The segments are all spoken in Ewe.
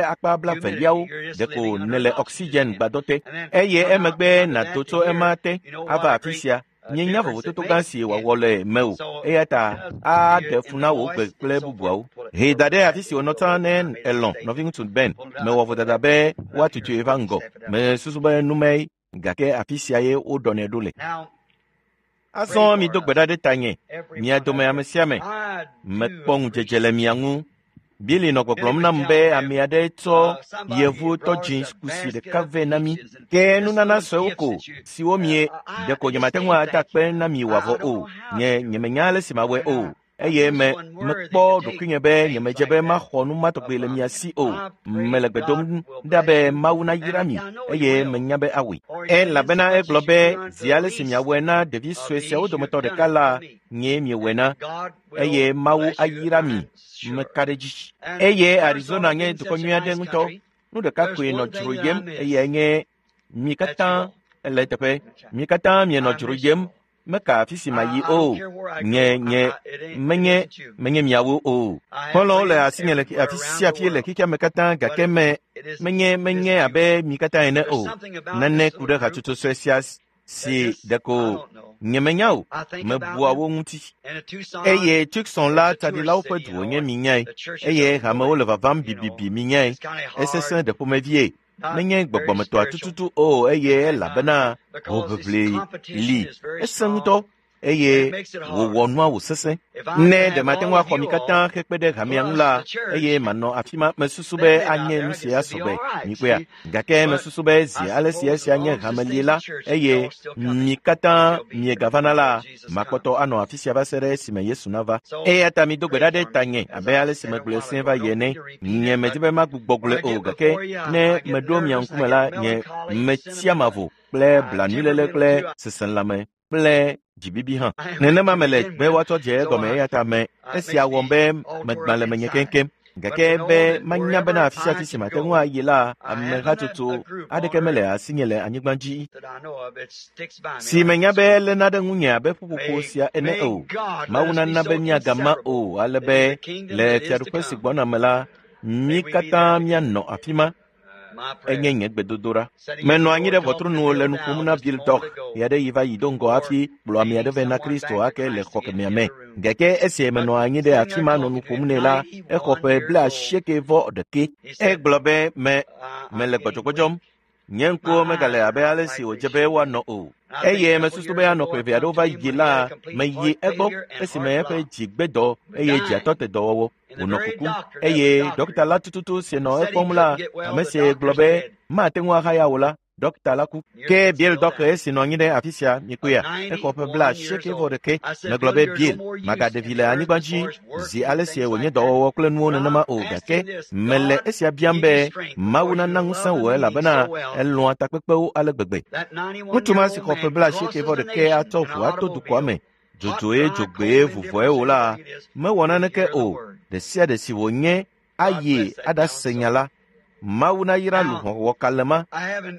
ƒe akpa blaveliawo ɖeko nèle oxygen gbadɔ te eye emegbe nàdo tso ema te ava afi sia. Míenya vovototo gã si wòawɔ le mewò eya ta aɖe fu na wò gbe kple bubuawo. Hee da ɖe afi si wònɔ tsã ne elɔ̃ nɔviŋutsu Ben. Mewɔ vodada be woatutui va ŋgɔ. Mesusu be numae gake afi sia ye woɖɔnɛ ɖo le. Azɔ mido gbe ɖa ɖe tanye, mia dome ame sia ame. Mekpɔ ŋudzedze le mia ŋu. Billy nɔ gbɔgblɔm nam be ame aɖe tsɔ yevu tɔdzi kusi ɖeka vɛ na mí. Ke nunana suewo ko siwo mie ɖeko nyemate ŋu ada akpe na mi wòavɔ o. Nye nyemenya ale si mawɔe o. Eye me mekpɔ ɖokuinye be nyemedze be maxɔ nu ma tɔgbi le mia si o. Mele gbe dom ɖa be Mawu nayra mi eye menya be awɔe. Elabena egblɔ be zi ale si miawɔe na ɖevi sue siawo dometɔ ɖeka la, nyee miewɔe na eye Mawu ayra mi. Meka ɖe edzi. Eye Arizona nye dukɔ nyui aɖe ŋutɔ. Nu ɖeka koe nɔ dzroyem eyae nye mi katã ele eteƒe. Mi katã mienɔ dzroyem. Meka afi si mayi o. Nye nye menye menye miawo o. Xɔlɔ̃wo le asinye le afi sia afi le xexea me katã gake me menye menye abe mi katã ene o. Nane ku ɖe hatsotso sue sia si ɖeko nyemenya o. Mebua wo ŋuti. Eye Tucson la tsaɖilawo ƒe du wònye minyae. Eye hamewo le vavam bibibi minyae. Esesẽ ɖe ƒomevie. Menye gbɔgbɔmetɔa tututu o eye elabena hoʋiʋli li. Esẽ ŋutɔ eye wòwɔ nua wòsesẽ. Ne ɖe mate ŋu axɔ mi katã hekpe ɖe hamea ŋu la, eye manɔ afi ma, mesusu be anye nu sia sɔgbe, mikpɔea. Gake mesusu be zi ale si esia nye hamelie la, eye mi katã miegavana la, makpɔtɔ anɔ afi sia va se ɖe esime Yesu nava. Eya ta mido gbe ɖa ɖe tanye abe ale si megblɔe sẽe va yi ene. Nye medi be magbugbɔ gblɔe o gake ne meɖo mia ŋkume la, nye metsia mavo kple blanuiléle kple seselãme kple dzibibi hã. Nenema mele be woatsɔ dze egɔme eya ta me esia wɔm be megbã le menye keŋkeŋ. Gake be manya bena afi sia afi si mate ŋu ayi la, ame hatsotso aɖeke mele asinye le anyigba dzi si menya be eléna ɖe ŋunye abe ƒuƒoƒo sia ene o. Mawu nana be míagama o ale be le fiaɖuƒe si gbɔna me la, mí katã míanɔ afi ma. Enye nye gbedodoɖa. Menɔ anyi ɖe ʋɔtru nu le nu ƒom na Bill Dɔk ɣeaɖeɣi va yi do ŋgɔ hafi kplɔ ame aɖe vɛ na Kristo ake le xɔ kemɛa me. Gake esi menɔ anyi ɖe afi ma nɔ nu ƒom nɛ la, exɔ ƒe 91. Egblɔ be me mele gbɔdzɔgbɔdzɔm. Nye ŋkuwo megale abe ale si wòdze be woanɔ o. Eye mesusu be anɔ ƒe eve aɖewo va yi la, meyi egbɔ esime eƒe dzi gbe dɔ eye dziatɔ te dɔwɔwɔ. Wònɔ kukum eye ɖɔkita la tututu si nɔ ekpɔm la, ame si gblɔ be mate ŋu ahaya o la, ɖɔkita la ku. Ke Bill dɔkɛ esi nɔ anyi ɖe afi sia, mikpɔea, exɔ ƒe 91. Megblɔ be Bill, magaɖe vi le anyigba dzi zi ale si wònye dɔwɔwɔ kple nuwo nenema o gake mele esia biam be Mawu nana ŋusẽ wò elabena elɔ̃a takpekpewo ale gbegbe. Ŋutsu ma si xɔ ƒe 91 atsɔ ʋu ato dukɔa me dzodzoe dzogbee vuvɔe o la, mewɔ naneke o. Ɖe sia ɖe si wònye ayi aɖase nya la. Mawu nayra luʋɔ wɔkalẽ ma.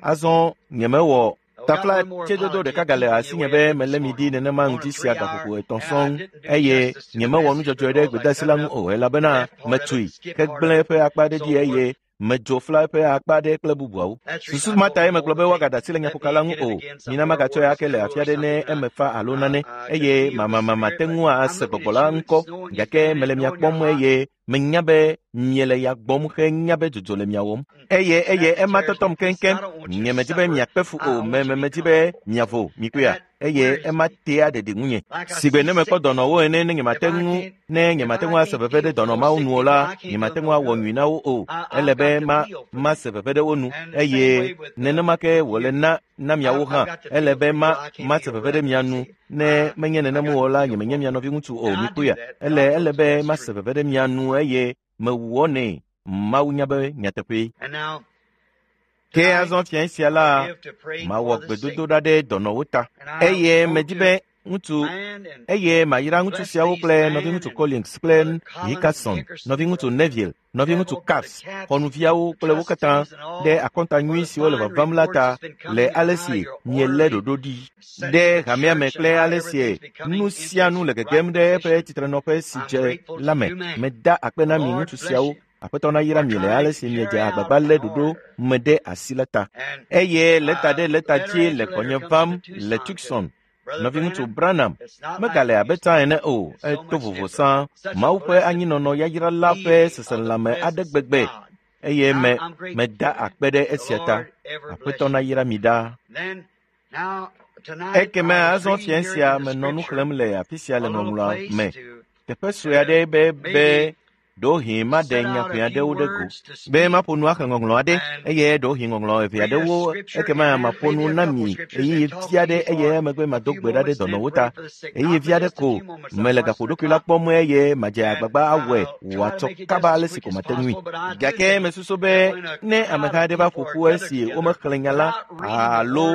Azɔ nyemewɔ tafla tsedodo ɖeka gale asinye be melé mi ɖi nenema ŋdi sia gaƒoƒo 3 sɔŋ eye nyemewɔ nudzɔdzɔe ɖe gbedeasi la ŋu o elabena metui hegblẽ eƒe akpa ɖe dzi eye medzo fla eƒe akpa ɖe kple bubuawo. Susu ma tae megblɔ be woagada asi le nyaƒoka la ŋu o. Mina magatsɔe ake le afi aɖe ne eme fa alo nane eye mamamama te ŋu ase gbɔgbɔ la ŋkɔ gake mele mia kpɔm eye menya be miele ya gbɔm henya be dzodzo le mia wɔm. Eye eye ema tɔtɔm keŋkeŋ. Nyemedi be miakpe fu o, me medi be miavo, mikpɔea. Eye ema tea ɖeɖi ŋunye. Sigbe ne mekpɔ dɔnɔwo ene ne nyemate ŋu ne nyemate ŋu ase veve ɖe dɔnɔ mawo nu o la, nyemate ŋu awɔ nyui na wo o. Ele be ma mase veve ɖe wo nu eye nenema ke wòle na na miawo hã. Ele be ma mase veve ɖe mia nu ne menye nenem o la, nyemenye mia nɔviŋutsu o, mikpɔea. Ele ele be mase veve ɖe mia nu eye mewɔnɛ. Mawu nya be nyateƒee. Ke azɔ fiẽ sia la, mawɔ gbedodoɖa ɖe dɔnɔwo ta. Eye medi be ŋutsu eye mayra ŋutsu siawo kple nɔviŋutsu Collins kple Hickerson, nɔviŋutsu Neville, nɔviŋutsu Caps, xɔnuviawo kple wo katã ɖe akɔnta nyui siwo le vavam la ta le ale si mielé ɖoɖo ɖi ɖe hamea me kple ale si nu sia nu le gegem ɖe eƒe tsitrenɔƒe si dze la me. Meda akpe na mi ŋutsu siawo. Aƒetɔ nayra mi le ale si miedze agbagba lé ɖoɖo me ɖe asi la ta. Eye lɛta ɖe lɛta dzi le gbɔnye vam le Tucson. Nɔviŋutsu Branham megale abe tsã ene o, eto vovo sã. Mawu ƒe anyinɔnɔ yayra la ƒe seselãme aɖe gbegbe eye me meda akpe ɖe esia ta. Aƒetɔ nayra mi ɖaa. Ekeme azɔ fiẽ sia menɔ nu xlẽm le afi sia le ŋɔŋlɔa me. Teƒe sue aɖe be be Ɖewohĩ maɖe nya ʋɛ aɖewo ɖe go be maƒo nu axlẽ ŋɔŋlɔ aɖe eye ɖewohĩ ŋɔŋlɔ eve aɖewo ekema maƒo nu na mi ɣeyiɣi vi aɖe eye emegbe mado gbe ɖa ɖe dɔnɔwo ta ɣeyiɣi vi aɖe ko mele gaƒoɖokui la kpɔm eye madze agbagba awɔe wòatsɔ kaba ale si ko mate ŋui. Gake mesusu be ne ameha aɖe va ƒo ƒu esi womexlẽ nya la alo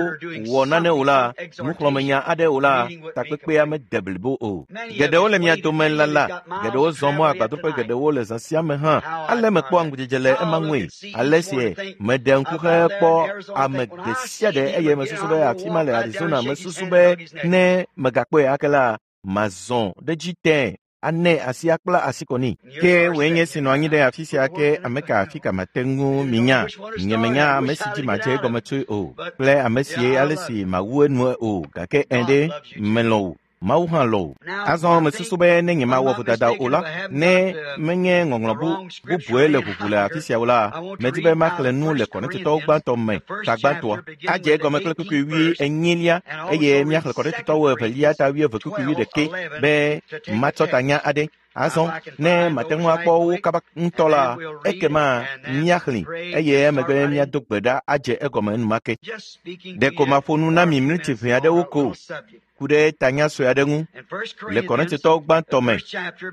wɔ nane o la, nuxlɔ̃amenya aɖe o la, takpekpea mede blibo o. Geɖewo le mia dome lala, geɖewo zɔ mɔ agbadɔƒe geɖewo le zã sia me hã. Ale mekpɔa ŋudzedze le ema ŋue. Ale si meɖe ŋku hekpɔ ame ɖe sia ɖe eye mesusu be afi ma le Arizona mesusu be ne megakpɔe ake la, mazɔ ɖe edzi tẽe ane asi akpla asi kɔ nɛ. Ke wòe nye esi nɔ anyi ɖe afi sia ke ame ka afi ka mate ŋu minya. Nyemenya ame si dzi madze egɔme tsoe o kple ame si ale si mawu enue o gake ẽ ɖe melɔ̃ wò. Mawu hã lɔ̃ wò. Azɔ mesusu be ne nyemawɔ vodada o la, ne menye ŋɔŋlɔ bubue le ʋuʋu le afi sia o la, medi be maxlẽ nu le Korintotɔwo gbãtɔ me ta gbãtɔa. Adze egɔme kple kpukpui wui enyilia eye míaxlẽ Korintotɔwo evelia ta 20 kpukpui 21 be matsɔ tanya aɖe. Azɔ ne mate ŋu akpɔ wo kaba ŋutɔ la, ekema míaxlẽ eye emegbe míado gbe ɖa adze egɔme enumake. Ɖeko maƒo nu na mi miniti ʋɛ aɖewo ko ku ɖe tanya sue aɖe ŋu le Korintotɔwo gbãtɔ me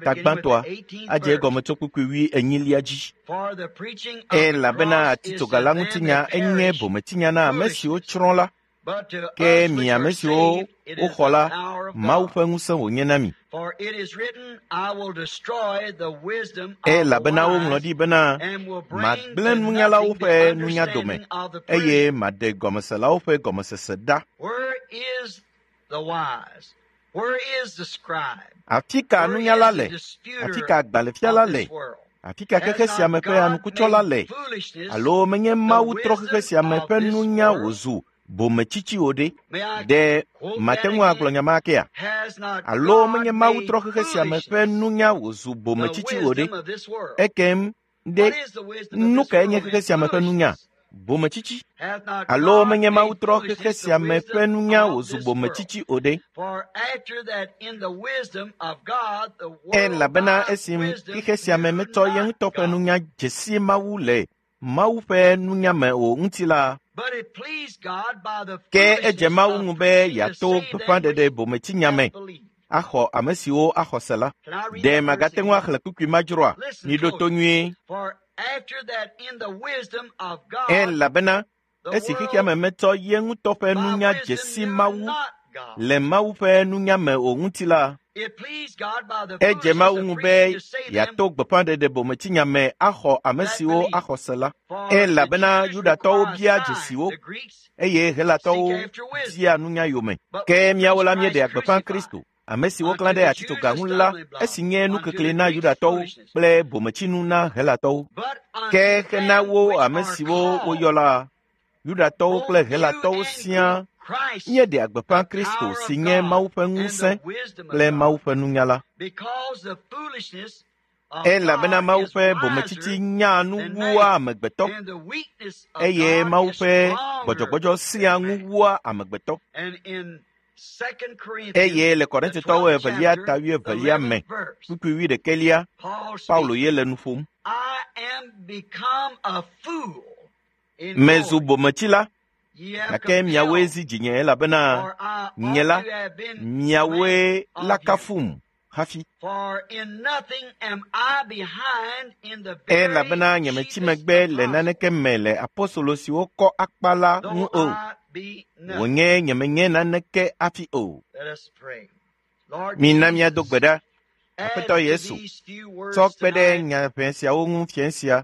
ta gbãtɔa adze egɔme tso kpukpui 24 dzi. Elabena atitsoga la ŋutinya enye bometsinya na ame siwo tsrɔ̃ la, ke mi ame siwo woxɔ la, Mawu ƒe ŋusẽ wònye na mi. Elabena woŋlɔ ɖi bena, magblẽ nunyalawo ƒe nunya dome eye maɖe gɔmeselawo ƒe gɔmesese ɖa. Afi ka nunyala le? Afi ka agbalẽfiala le? Afi ka xexe sia me ƒe anukutsɔla le? Alo menye Mawu trɔ xexe sia me ƒe nunya wòzu bometsitsi o ɖe? Ɖe mate ŋu agblɔ nya ma akea? Alo menye Mawu trɔ xexe sia me ƒe nunya wòzu bometsitsi o ɖe? Ekem ɖe nu kae nye xexe sia me ƒe nunya? Bometsitsi. Alo menye Mawu trɔ xexe sia me ƒe nunya wòzu bometsitsi o ɖe? Elabena esi xexe sia me metsɔ ye ŋutɔ ƒe nunya dze si Mawu le Mawu ƒe nunya me o ŋuti la, ke edze Mawu ŋu be yeato gbeƒãɖeɖe bometsinya me axɔ ame siwo axɔ se la. Ɖe magate ŋu axlẽ kpukpui ma dzroa? Miɖo to nyuie. Elabena esi xexea me metsɔ ye ŋutɔ ƒe nunya dze si Mawu le Mawu ƒe nunya me o ŋuti la, edze Mawu ŋu be yeato gbeƒãɖeɖe bometsinya me axɔ ame siwo axɔ se la. Elabena Yudatɔwo bia dzesiwo eye Helatɔwo dia nunya yome. Ke míawo la míeɖea gbeƒã Kristo, ame si woklã ɖe atitsoga ŋu la, esi nye nukekli na Yudatɔwo kple bometsinu na Helatɔwo. Ke hena wo ame siwo woyɔ la, Yudatɔwo kple Helatɔwo siaa míeɖea gbeƒã Kristo si nye Mawu ƒe ŋusẽ kple Mawu ƒe nunya la. Elabena Mawu ƒe bometsitsi nyaa nu wua amegbetɔ eye Mawu ƒe gbɔdzɔgbɔdzɔ sia ŋu wua amegbetɔ. Eye le Korintotɔwo evelia ta 22 me kpukpui 21, Paulo ye le nu ƒom. Mezu bometsila, gake miawoe zi dzinye elabena nye la, miawoe la kafum hafi. Elabena nyemetsi megbe le naneke me le apostolo siwo kɔ akpa la ŋu o. Wònye nyemenye naneke hafi o. Mina míado gbe ɖa. Aƒetɔ Yesu, tsɔ kpe ɖe nya ʋɛ siawo ŋu fiẽ sia,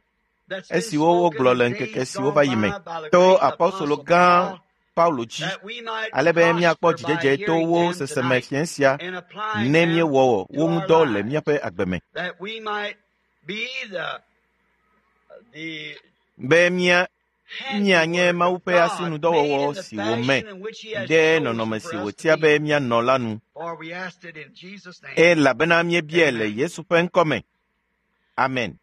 esiwo wogblɔ le ŋkeke siwo va yi me to apostolo gã Paulo dzi, ale be míakpɔ dzidzedze to wo seseme fiẽ sia ne míewɔ wo ŋudɔ le míaƒe agbe me. Be míanye Mawu ƒe asinudɔwɔwɔ si wòme ɖe nɔnɔme si wòtia be míanɔ la nu. Elabena míebiae le Yesu ƒe ŋkɔ me. Amen.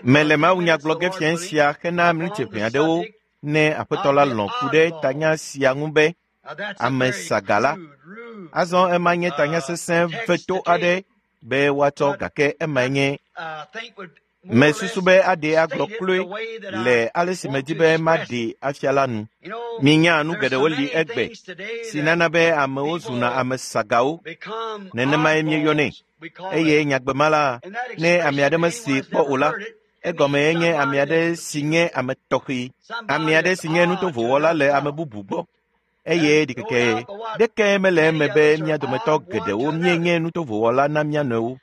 Mele mawunya gblɔ ge fiẽ sia hena miniti ʋɛ aɖewo ne Aƒetɔ la lɔ̃ ku ɖe tanya sia ŋu be ame saga la. Azɔ ema nye tanya sesẽ veto aɖe be woatsɔ gake emae nye mesusu be aɖee agblɔ kloe le ale si medi be maɖee afia la nu. Minya nu geɖewo li egbe si nana be amewo zuna ame sagawo. Nenemae míeyɔnɛ. Eye nyagbe ma la, ne ame aɖe mesee kpɔ o la, egɔme nye ame aɖe si nye ame tɔxɛ, ame aɖe si nye nutovowɔla le ame bubu gbɔ. Eye ɖikeke ɖeke mele eme be mía dometɔ geɖewo míenye nutovowɔla na mía nɔewo.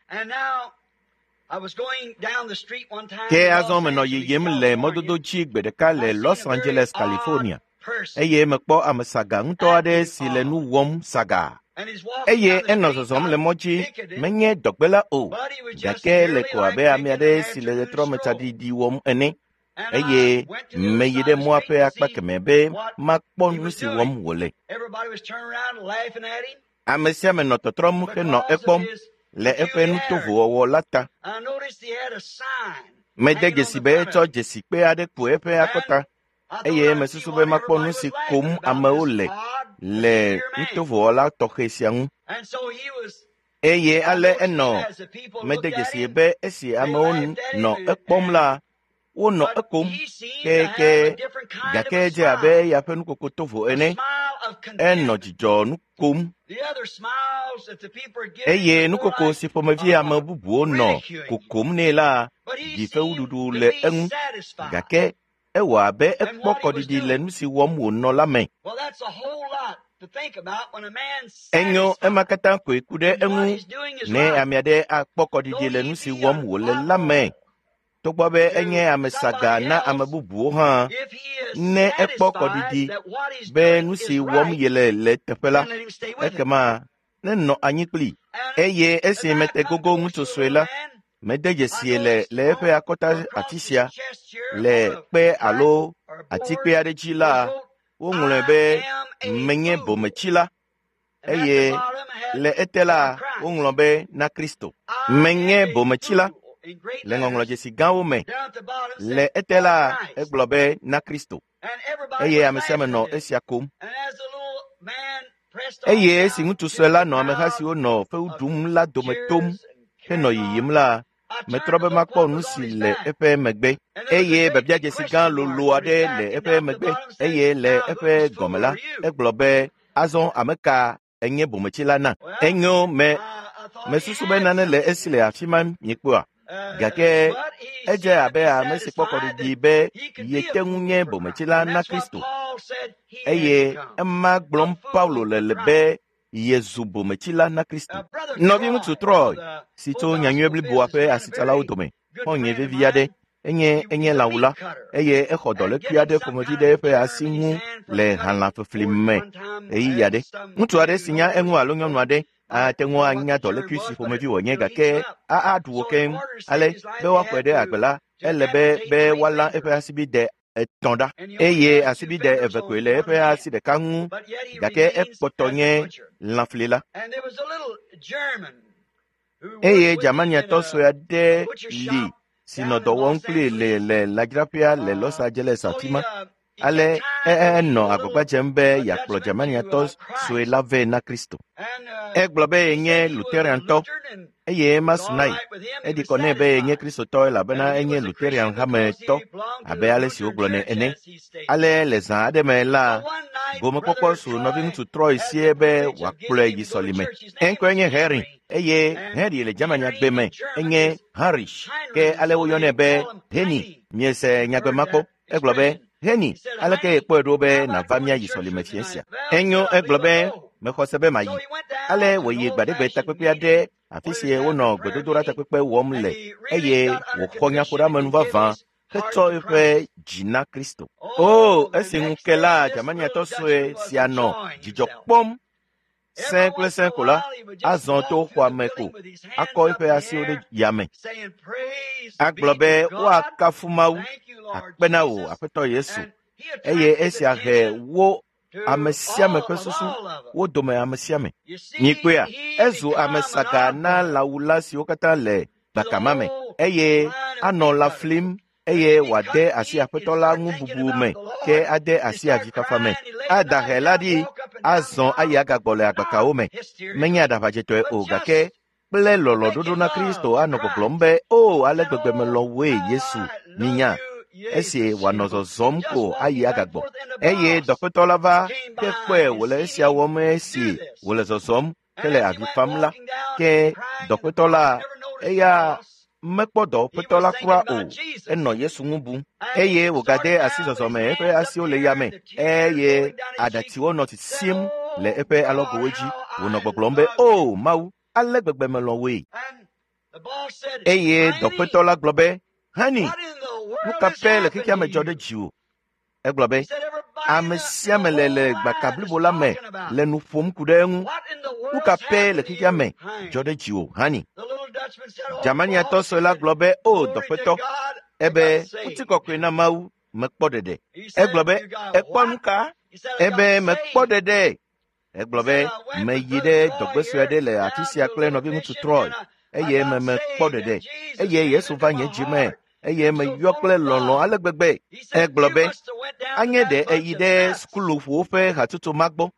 Ke azɔ menɔ yiyim le mɔdodo dzi gbe ɖeka le Los Angeles, California, eye mekpɔ ame saga ŋutɔ aɖe si le nu wɔm saga. Eye enɔ zɔzɔm le mɔ dzi, menye dɔgbela o, gake le ko abe ame aɖe si le ɣetrɔme tsaɖiɖi wɔm ene. Eye meyi ɖe mɔa ƒe akpa kemɛ be makpɔ nu si wɔm wòle. Ame sia ame nɔ tɔtrɔm henɔ ekpɔm le eƒe nutovowɔwɔ la ta. Mede dzesi be etsɔ dzesikpe aɖe ku eƒe akɔta eye mesusu be makpɔ nu si kom amewo le le nutovowɔla tɔxɛ sia ŋu. Eye ale enɔ mede dzesi be esi amewo nɔ ekpɔm la, wonɔ ekom keke gake edze abe eya ƒe nukoko tovo ene. Enɔ dzidzɔ nu kom eye nukoko si ƒomevi ame bubuwo nɔ kokom nɛ la ɖi fewuɖuɖu le eŋu gake ewɔ abe ekpɔ kɔɖiɖi le nu si wɔm wònɔ la me. Enyo ema katã koe ku ɖe eŋu ne ame aɖe akpɔ kɔɖiɖi le nu si wɔm wòle la me. Togbɔ be enye ame saga na ame bubuwo hã, ne ekpɔ kɔɖiɖi be nu si wɔm yele le teƒe la, ekema nenɔ anyi kpli. Eye esi mete gogo ŋutsu sue la, mede dzesie le le eƒe akɔta afi sia, le kpe alo atikpe aɖe dzi la, woŋlɔe be menye bometsila eye le ete la woŋlɔ be na Kristo. Menye bometsila le ŋɔŋlɔdzesi gãwo me. Le ete la egblɔ be na Kristo eye ame sia ame nɔ esia kom. Eye esi ŋutsu sue la nɔ ameha siwo nɔ fewu ɖum la dome tom henɔ yiyim la, metrɔ be makpɔ nu si le eƒe megbe eye biabiadzesi gã lolo aɖe le eƒe megbe eye le eƒe gɔme la, egblɔ be azɔ ame ka enye bometsila na. Enyo me mesusu be nane le esi le afi ma miekpɔa. Gake edze abe ame si kpɔ kɔɖiɖi be yete ŋu nye bometsila na Kristo eye ema gblɔm Paulo le le be yezu bometsila na Kristo. Nɔviŋutsu Troy si tso nyanyui bliboa ƒe asitsalawo dome xɔ̃nye vevi aɖe enye enye lãwula eye exɔ dɔlékui aɖe ƒomevi ɖe eƒe asi ŋu le halãfefli me ɣeyiɣi aɖe. Ŋutsu aɖe si nya eŋu alo nyɔnu aɖe ate ŋu anya dɔlékui si ƒomevi wònye gake aɖu wo keŋ. Ale be woaxɔe ɖe agbe la, ele be be woalã eƒe asibide etɔ̃ ɖa eye asibide eve koe le eƒe asi ɖeka ŋu gake ekpɔtɔ nye lãflila. Eye Germaniatɔ sue aɖe li si nɔ dɔ wɔm kplii le le lãdzraƒea le Los Angeles afi ma. Ale enɔ agbagba dzem be yeakplɔ Germaniatɔ sue la vɛ na Kristo. Egblɔ be yenye Lutheran-tɔ eye ema su nae. Eɖi kɔ nɛ be yenye Kristotɔ elabena enye Lutheran hametɔ abe ale si wogblɔnɛ ene. Ale le zã aɖe me la, gomekpɔkpɔ su nɔviŋutsu Troy sie be wòakplɔe yi sɔlime. Eŋkɔe nye Henry eye Henry le Germanyagbe me enye Heinrich ke ale woyɔnɛ be Henny. Miese nyagbe ma kpɔ. Egblɔ be, Henny, aleke yekpɔe ɖo be nàva míayi sɔlime fiẽ sia? Enyo, egblɔ be, mexɔ se be mayi. Ale wòyi gbaɖegbe takpekpe aɖe afi si wonɔ gbedodoɖa takpekpe wɔm le eye wòxɔ nyaƒoɖeamenu vavã hetsɔ eƒe dzi na Kristo. O, esi ŋu ke la, Germaniatɔ sue sia nɔ dzidzɔ kpɔm sẽ kple sẽ ko la, azɔ to xɔa me ko akɔ eƒe asiwo ɖe yame. Agblɔ be woakafu Mawu, akpe na wò Aƒetɔ Yesu. Eye esia he wo ame sia ame ƒe susu, wo dome ame sia ame. Mikpɔea, ezu ame saga na lãwula siwo katã le gbakama me eye anɔ lã flim eye wòade asi aƒetɔ la ŋu bubu me ke ade asi avifafa me. Ada hɛ la ɖi azɔ ayi agagbɔ le agbakawo me. Menye aɖaʋadzetɔe o gake kple lɔlɔ̃ɖoɖo na Kristo anɔ gbɔgblɔm be, “O, ale gbegbe melɔ̃ wòe, Yesu, minya.” Esi wòanɔ zɔzɔm ko ayi agagbɔ. Eye dɔƒetɔ la va ke kpɔe wòle esia wɔm esi wòle zɔzɔm hele avi fam la. Ke dɔƒetɔ la, eya mekpɔ dɔwɔƒetɔ la kura o. Enɔ Yesu ŋu bum eye wògade asi zɔzɔme eƒe asiwo le yame eye aɖatsiwo nɔ sisim le eƒe alɔgowo dzi. Wònɔ gbɔgblɔm be, “O Mawu, ale gbegbe melɔ̃ wòe.” Eye dɔƒetɔ la gblɔ be, “Hani, nu ka pɛ le xexea me dzɔ ɖe dziwò?” Egblɔ be, “Ame sia ame le le gbaka blibo la me le nu ƒom ku ɖe eŋu. Nu ka pɛ le xexea me dzɔ ɖe dziwò, Hani?” Germaniatɔ sue la gblɔ be, “O dɔƒetɔ, ebe ŋutikɔkɔe na Mawu, mekpɔ ɖeɖe.” Egblɔ be, “Èkpɔ nu ka?” Ebe, “Mekpɔ ɖeɖe.” Egblɔ be, “Meyi ɖe dɔgbe sue aɖe le afi sia kple nɔviŋutsu Troy eye me mekpɔ ɖeɖe eye Yesu va nye dzi me eye meyɔ kple lɔlɔ̃ ale gbegbe.” Egblɔ be, “Anye ɖe èyi ɖe sukuluƒowo ƒe hatsotso ma gbɔ?”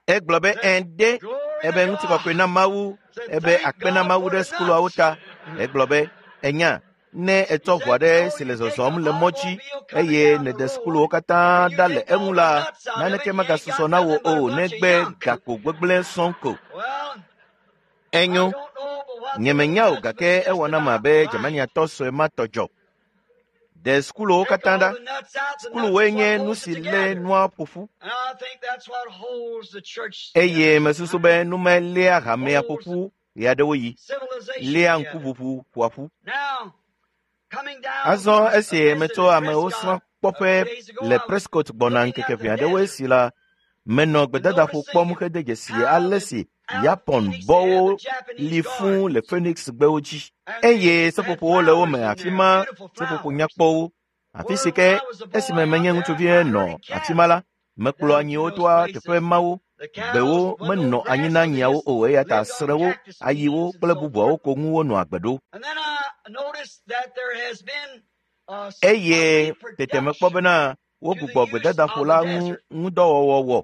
Egblɔ be, “Ɛ̃ ɖe.” Ebe ŋutikɔkɔe na Mawu, ebe akpe na Mawu ɖe sukuluawo ta. Egblɔ be, “Ènya, ne ètsɔ ʋu aɖe si le zɔzɔm le mɔ dzi eye nèɖe sukuluwo katã ɖa le eŋu la, naneke megasusɔ na wò o negbe gakpo gbegblẽ sɔŋ ko.” Enyo, nyemenya o gake ewɔ nam abe Germaniatɔ sue ma tɔ dzɔ. Ɖe sukuluwo katã ɖa. Sukuluwoe nye nu si lé nua ƒo ƒu. Eye mesusu be nu ma léa hamea ƒo ƒu ɣeaɖewoɣi, léa ŋkuʋuʋu ƒoa ƒu. Azɔ esi metso amewo srɔ̃ kpɔƒe le Prescott gbɔna ŋkeke ʋɛ aɖewoe si la, menɔ gbedadaƒo kpɔm hede dzesi ale si Yapon bɔwo li fũu le Phoenix gbewo dzi eye seƒoƒowo le wo me afi ma, seƒoƒo nyakpɔwo. Afi si ke esime menye ŋutsuvi nɔ afi ma la, mekplɔ anyiwo toa teƒe mawo. Gbewo menɔ anyi na nyiawo o eya ta srẽwo, ayiwo kple bubuawo ko ŋu wonɔ agbe ɖo. Eye tete mekpɔ bena wogbugbɔ gbedadaƒo la ŋu ŋudɔwɔwɔ wɔ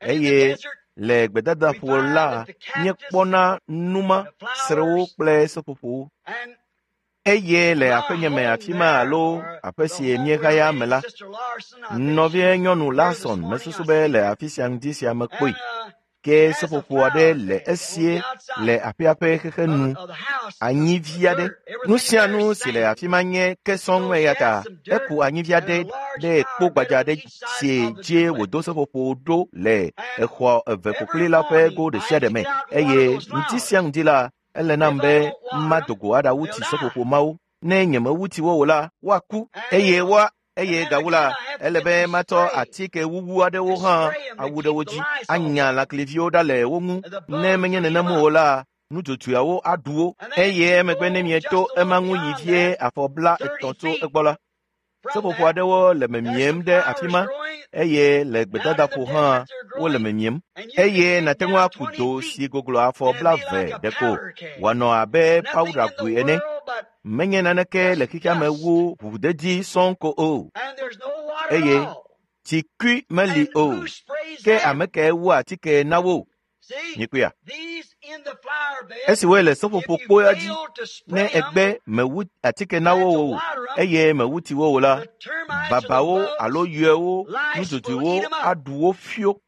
eye le gbedadaƒo la míekpɔna numa, srẽwo kple seƒoƒowo. Eye le aƒenye me afi ma alo aƒe si míehaya me la, nɔvie nyɔnu Larson mesusu be le afi sia ŋdi sia mekpɔe. Ke seƒoƒo aɖe le esie le aƒea ƒe xexe nu, anyivi aɖe. Nu sia nu si le afi ma nye ke sɔŋ eya ta eku anyivi aɖe ɖe kpo gbadza aɖe si dzie wòdo seƒoƒo ɖo le exɔ eve ƒokpli la ƒe go ɖe sia ɖe me eye ŋdi sia ŋdi la, ele nam be mado go aɖawu tsi seƒoƒo mawo. Ne nyemewu tsi wo o la, woaku eye woa eye gawu la, ele be matsɔ atike wuwu aɖewo hã awu ɖe wo dzi, anya lãkliviwo ɖa le wo ŋu. Ne menye nenem o la, nudzodzoeawo aɖu wo. Eye emegbe ne mieto ema ŋu yi vie afɔ 30 tso egbɔ la, seƒoƒo aɖewo le memiem ɖe afi ma eye le gbedadaƒo hã wole memiem. Eye nàte ŋu aku do si goglo afɔ 20 ɖeko wòanɔ abe pawuɖagoe ene. Menye naneke le xexea me wu ʋuʋudedi sɔŋ ko o. Eye tsikui meli o. Ke ame kae wua atike na wo? Mikpɔea? Esi woe le seƒoƒo kpoa dzi, ne ègbe mèwu atike na wo o eye mèwu tsi wo o la, babawo alo yɔewo, nudzodzoewo aɖu wo fio.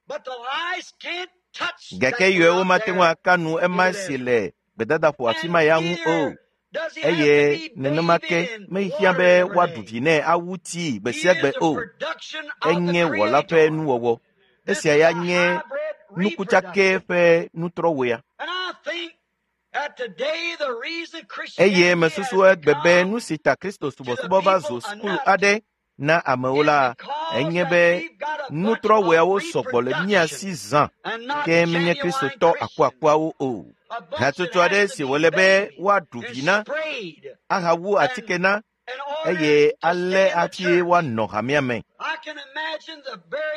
Gake yɔewo mate ŋu aka nu ema si le gbedadaƒo afi ma ya ŋu o. Eye nenema ke mehiã be woaɖu vi nɛ awu tsii gbe sia gbe o. Enye wɔla ƒe nuwɔwɔ. Esia ya nye nukutsake ƒe nutrɔwɔea. Eye mesusu egbe be nu si ta Kristo subɔsubɔ va zu sukulu aɖe na amewo la, enye be nutrɔwɔeawo sɔgbɔ le mía si zã, ke menye Kristotɔ akuakuawo o. Hatsotso aɖe si wòle be woaɖu vi na, ahawu atike na, eye ale hafi woanɔ hamea me.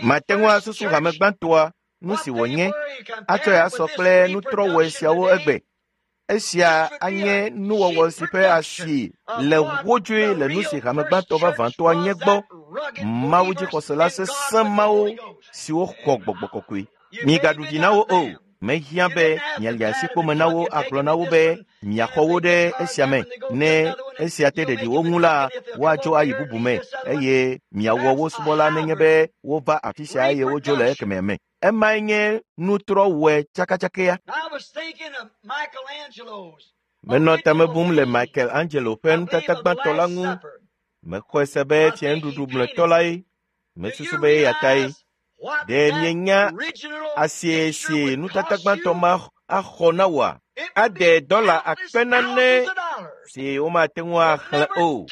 Mate ŋu asusu hame gbãtɔa nu si wònye atsɔe asɔ kple nutrɔwɔe siawo egbe. Esia anye nuwɔwɔ si ƒe asi le wodzoe le nu si hame gbãtɔ vavãtɔa nye gbɔ. Mawu dzixɔsela sesẽ mawo siwo xɔ gbɔgbɔ kɔkɔe. Migaɖu vi na wo o. Mehiã be miali asi kpome na wo agblɔ na wo be miaxɔ wo ɖe esia me. Ne esia te ɖeɖi wo ŋu la, woadzo ayi bubu me eye miawɔ wo subɔla nenye be wova afi sia eye wodzo le ekemɛ me. Emae nye nutrɔwɔe tsakatsakea. Menɔ tame bum le Michelangelo ƒe nutata gbãtɔ la ŋu. Mexɔe se be fianuɖuɖu mlɔetɔ lae. Mesusu be eya tae. Ɖe mienya asie si nutata gbãtɔ ma axɔ na wòa? Ade dɔla akpe nane si womate ŋu axlẽ o.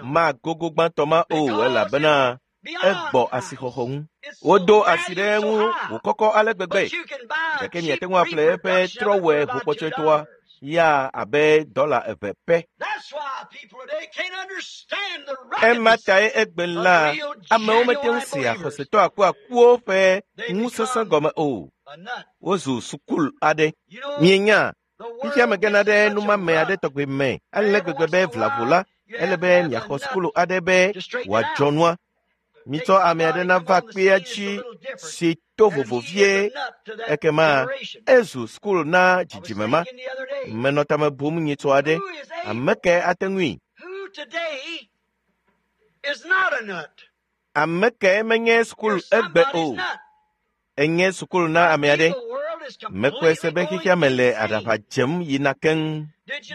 Magogo gbãtɔ ma o elabena egbɔ asixɔxɔ ŋu. Wodo asi ɖe eŋu wòkɔkɔ ale gbegbe gake miate ŋu aƒle eƒe trɔwɔe ʋukpɔtsɔetɔa ya abe dɔla eve pɛ. Ema tae egbe la amewo mete ŋu sea xɔsetɔ akuakuwo ƒe ŋusesẽ gɔme o. Wozu sukul aɖe. Mienya, fifia megena ɖe numame aɖe tɔgbe me ale gbegbe be vlavo la, ele be miaxɔ sukulu aɖe be wòadzɔ nua. Mitsɔ ame aɖe nava kpea dzi si to vovo vie ekema ezu sukulu na dzidzime ma. Menɔ tame bum nyitsɔ aɖe. Ame kae ate ŋui? Ame kae menye sukulu egbe o? Enye sukulu na ame aɖe. Mekpɔe se be xexea me le aɖaʋa dzem yina keŋ.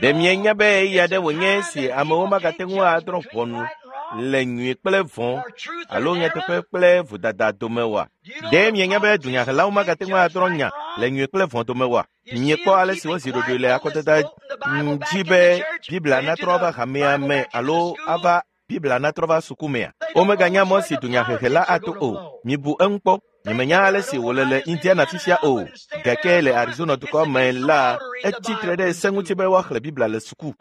Ɖe mienya be ɣeyiɣi aɖe wònye si amewo magate ŋu adrɔ̃ ʋɔnu le nyui kple vɔ̃ alo nyateƒe kple vodada dome oa? Ɖe mienya be dunyahelawo magate ŋu adrɔ̃ nya le nyui kple vɔ̃ dome oa? Miekpɔ ale si wozi ɖoɖoe le akɔdada dzi be Biblia natrɔ ava hamea me alo ava Biblia natrɔ va suku mea? Womeganya mɔ si dunyahehe la ato o. Mibu eŋu kpɔ. Nyemenya ale si wòle le Indiana fifia o, gake le Arizona dukɔ me la, etsi tre ɖe se ŋuti be woaxlẽ Biblia le suku.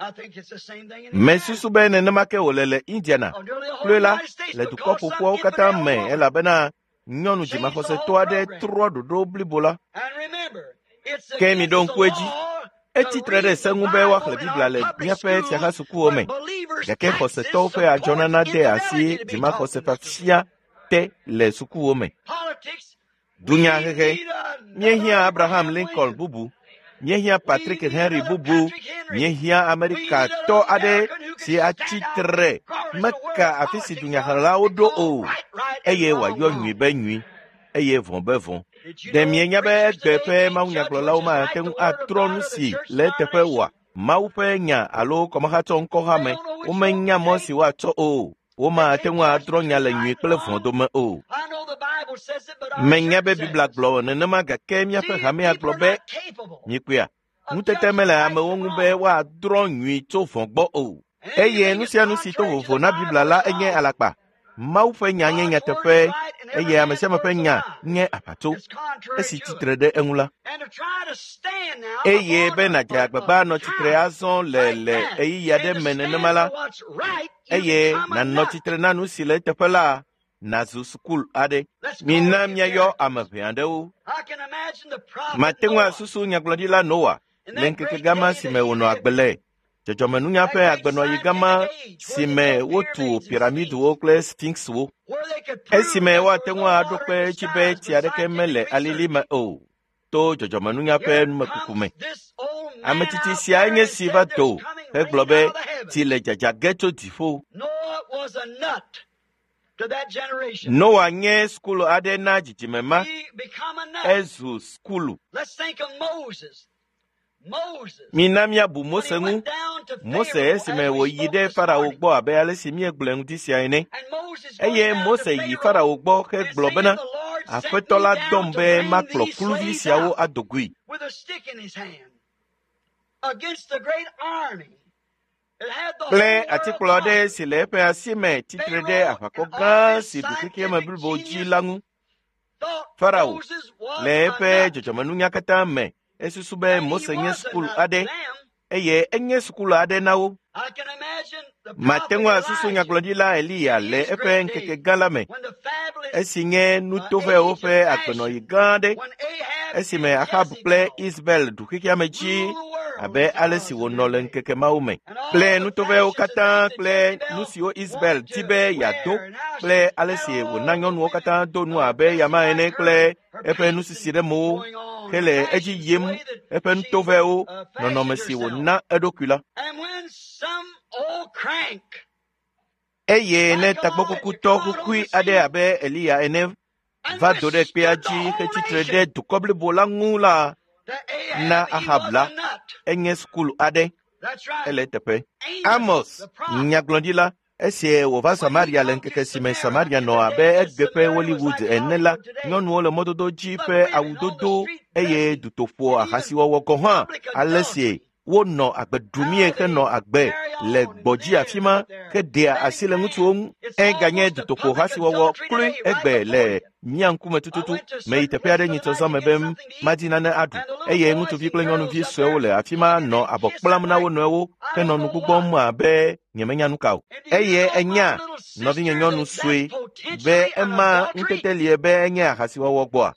Mesusu be nenema ke wòle le Indiana. Kloe la, le dukɔ ƒoƒuawo katã me elabena nyɔnu dzimaxɔsetɔ aɖe trɔ ɖoɖo blibo la. Ke miɖo ŋku edzi. Etsi tre ɖe se ŋu be woaxlẽ Biblia le míaƒe fiahasukuwo me, gake xɔsetɔwo ƒe adzɔnana de asi dzimaxɔsefiafia te le sukuwo me. Dunyahehe. Míehiã Abraham Lincoln bubu. Míehiã Patrick Henry bubu. Míehiã Amerikatɔ aɖe si atsi tre meka afi si dunyahelawo ɖo o eye wòayɔ nyui be nyui eye vɔ̃ be vɔ̃. Ɖe mienya be egbe ƒe mawunyagblɔlawo mate ŋu atrɔ nu si le eteƒe oa? Mawu ƒe nya alo kɔmahatsɔ ŋkɔha me womenya mɔ si woatsɔ o. Womate ŋu adrɔ̃ nya le nyui kple vɔ̃ dome o. Menya be Biblia gblɔ nenema gake míaƒe hamea gblɔ be mikpɔea, ŋutete mele amewo ŋu be woadrɔ̃ nyui tso vɔ̃ gbɔ o. Eye nu sia nu si to vovo na Biblia la enye alakpa. Mawu ƒe nya nye nyateƒe eye ame sia ame ƒe nya nye aʋatso esi tsitre ɖe eŋu la. Eye be nàdze agbagba anɔ tsitre azɔ le le ɣeyiɣi aɖe me nenema la, eye nànɔ tsitre na nu si le eteƒe la, nàzu sukul aɖe. Mina míayɔ ame ʋɛ aɖewo. Mate ŋu asusu nyagblɔɖila Noa le ŋkeke gama si me wònɔ agbe le. Dzɔdzɔmenunya ƒe agbenɔɣi gama si me wotu piramidiwo kple sfinkswo. Esime woate ŋu aɖo kpe edzi be tsi aɖeke mele alili me o to dzɔdzɔmenunya ƒe numekuku me. Ame tsitsi sia nye si va do hegblɔ be tsi le dzadza ge tso dziƒo. Noa nye sukulu aɖe na dzidzime ma. Ezu sukulu. Mina míabu Mose ŋu. Mose esime wòyi ɖe Farao gbɔ abe ale si míegblɔe ŋdi sia ene. Eye Mose yi Farao gbɔ hegblɔ bena, Aƒetɔ la dɔm be makplɔ kluvi siawo ado goe. Kple atikplɔ aɖe si le eƒe asi me tsitre ɖe aʋakɔ gã si ɖu xexeame blibo dzi la ŋu. Farao le eƒe dzɔdzɔmenunya katã me esusu be Mose nye sukulu aɖe eye enye sukulu aɖe na wo. Mate ŋu asusu nyagblɔɖila Eliya le eƒe ŋkeke gã la me esi nye nutoƒewo ƒe agbenɔɣi gã aɖe esime Ahab kple Isabel ɖu xexeame dzi abe ale si wònɔ le ŋkeke mawo me kple nutovɛwo katã kple nu siwo Isabel di be yeado kple ale si wòna nyɔnuwo katã do nu abe yama ene kple eƒe nusisi ɖe mowo hele edzi yim eƒe nutovɛwo nɔnɔme si wòna eɖokui la. Eye ne tagbɔkukutɔ kukui aɖe abe Eliya ene va do ɖe kpea dzi hetsitre ɖe dukɔ blibo la ŋu la, na Ahab la, enye sukulu aɖe. Ele eteƒe. Amos, nyagblɔɖila, esi wòva Samaria le ŋkeke si me Samaria nɔ abe egbe ƒe Hollywood ene la, nyɔnuwo le mɔdodo dzi ƒe awudodo eye dutoƒo ahasiwɔwɔ gɔ̃ hã ale si wonɔ agbe ɖumie henɔ agbe le gbɔdzi afi ma heɖea asi le ŋutsuwo ŋu. Eganye dutoƒo hasiwɔwɔ kloe egbe le mía ŋkume tututu. Meyi teƒe aɖe nyitsɔzɔ me be madi nane aɖu eye ŋutsuvi kple nyɔnuvi suewo le afi ma nɔ abɔ kplam na wo nɔewo henɔ nu gbugbɔm abe nyemenya nu ka o. Eye enya nɔvinye nyɔnu sue be ema ŋutete lie be enye ahasiwɔwɔ gbɔa?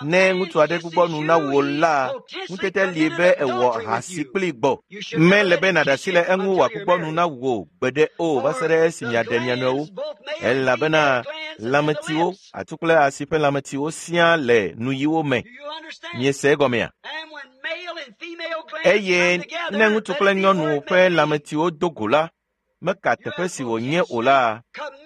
Ne ŋutsu aɖe gbugbɔ nu na wò la, ŋutete lie be ewɔ ahasi kpli gbɔ. Mele be nàɖe asi le eŋu wòagbugbɔ nu na wò gbeɖe o va se ɖe esi miaɖe mia nɔewo. Elabena lãmetiwo, atu kple asi ƒe lãmetiwo siaa le nuyiwo me. Miese egɔmea? Eye ne ŋutsu kple nyɔnu ƒe lãmetiwo do go la, meka teƒe si wònye o la,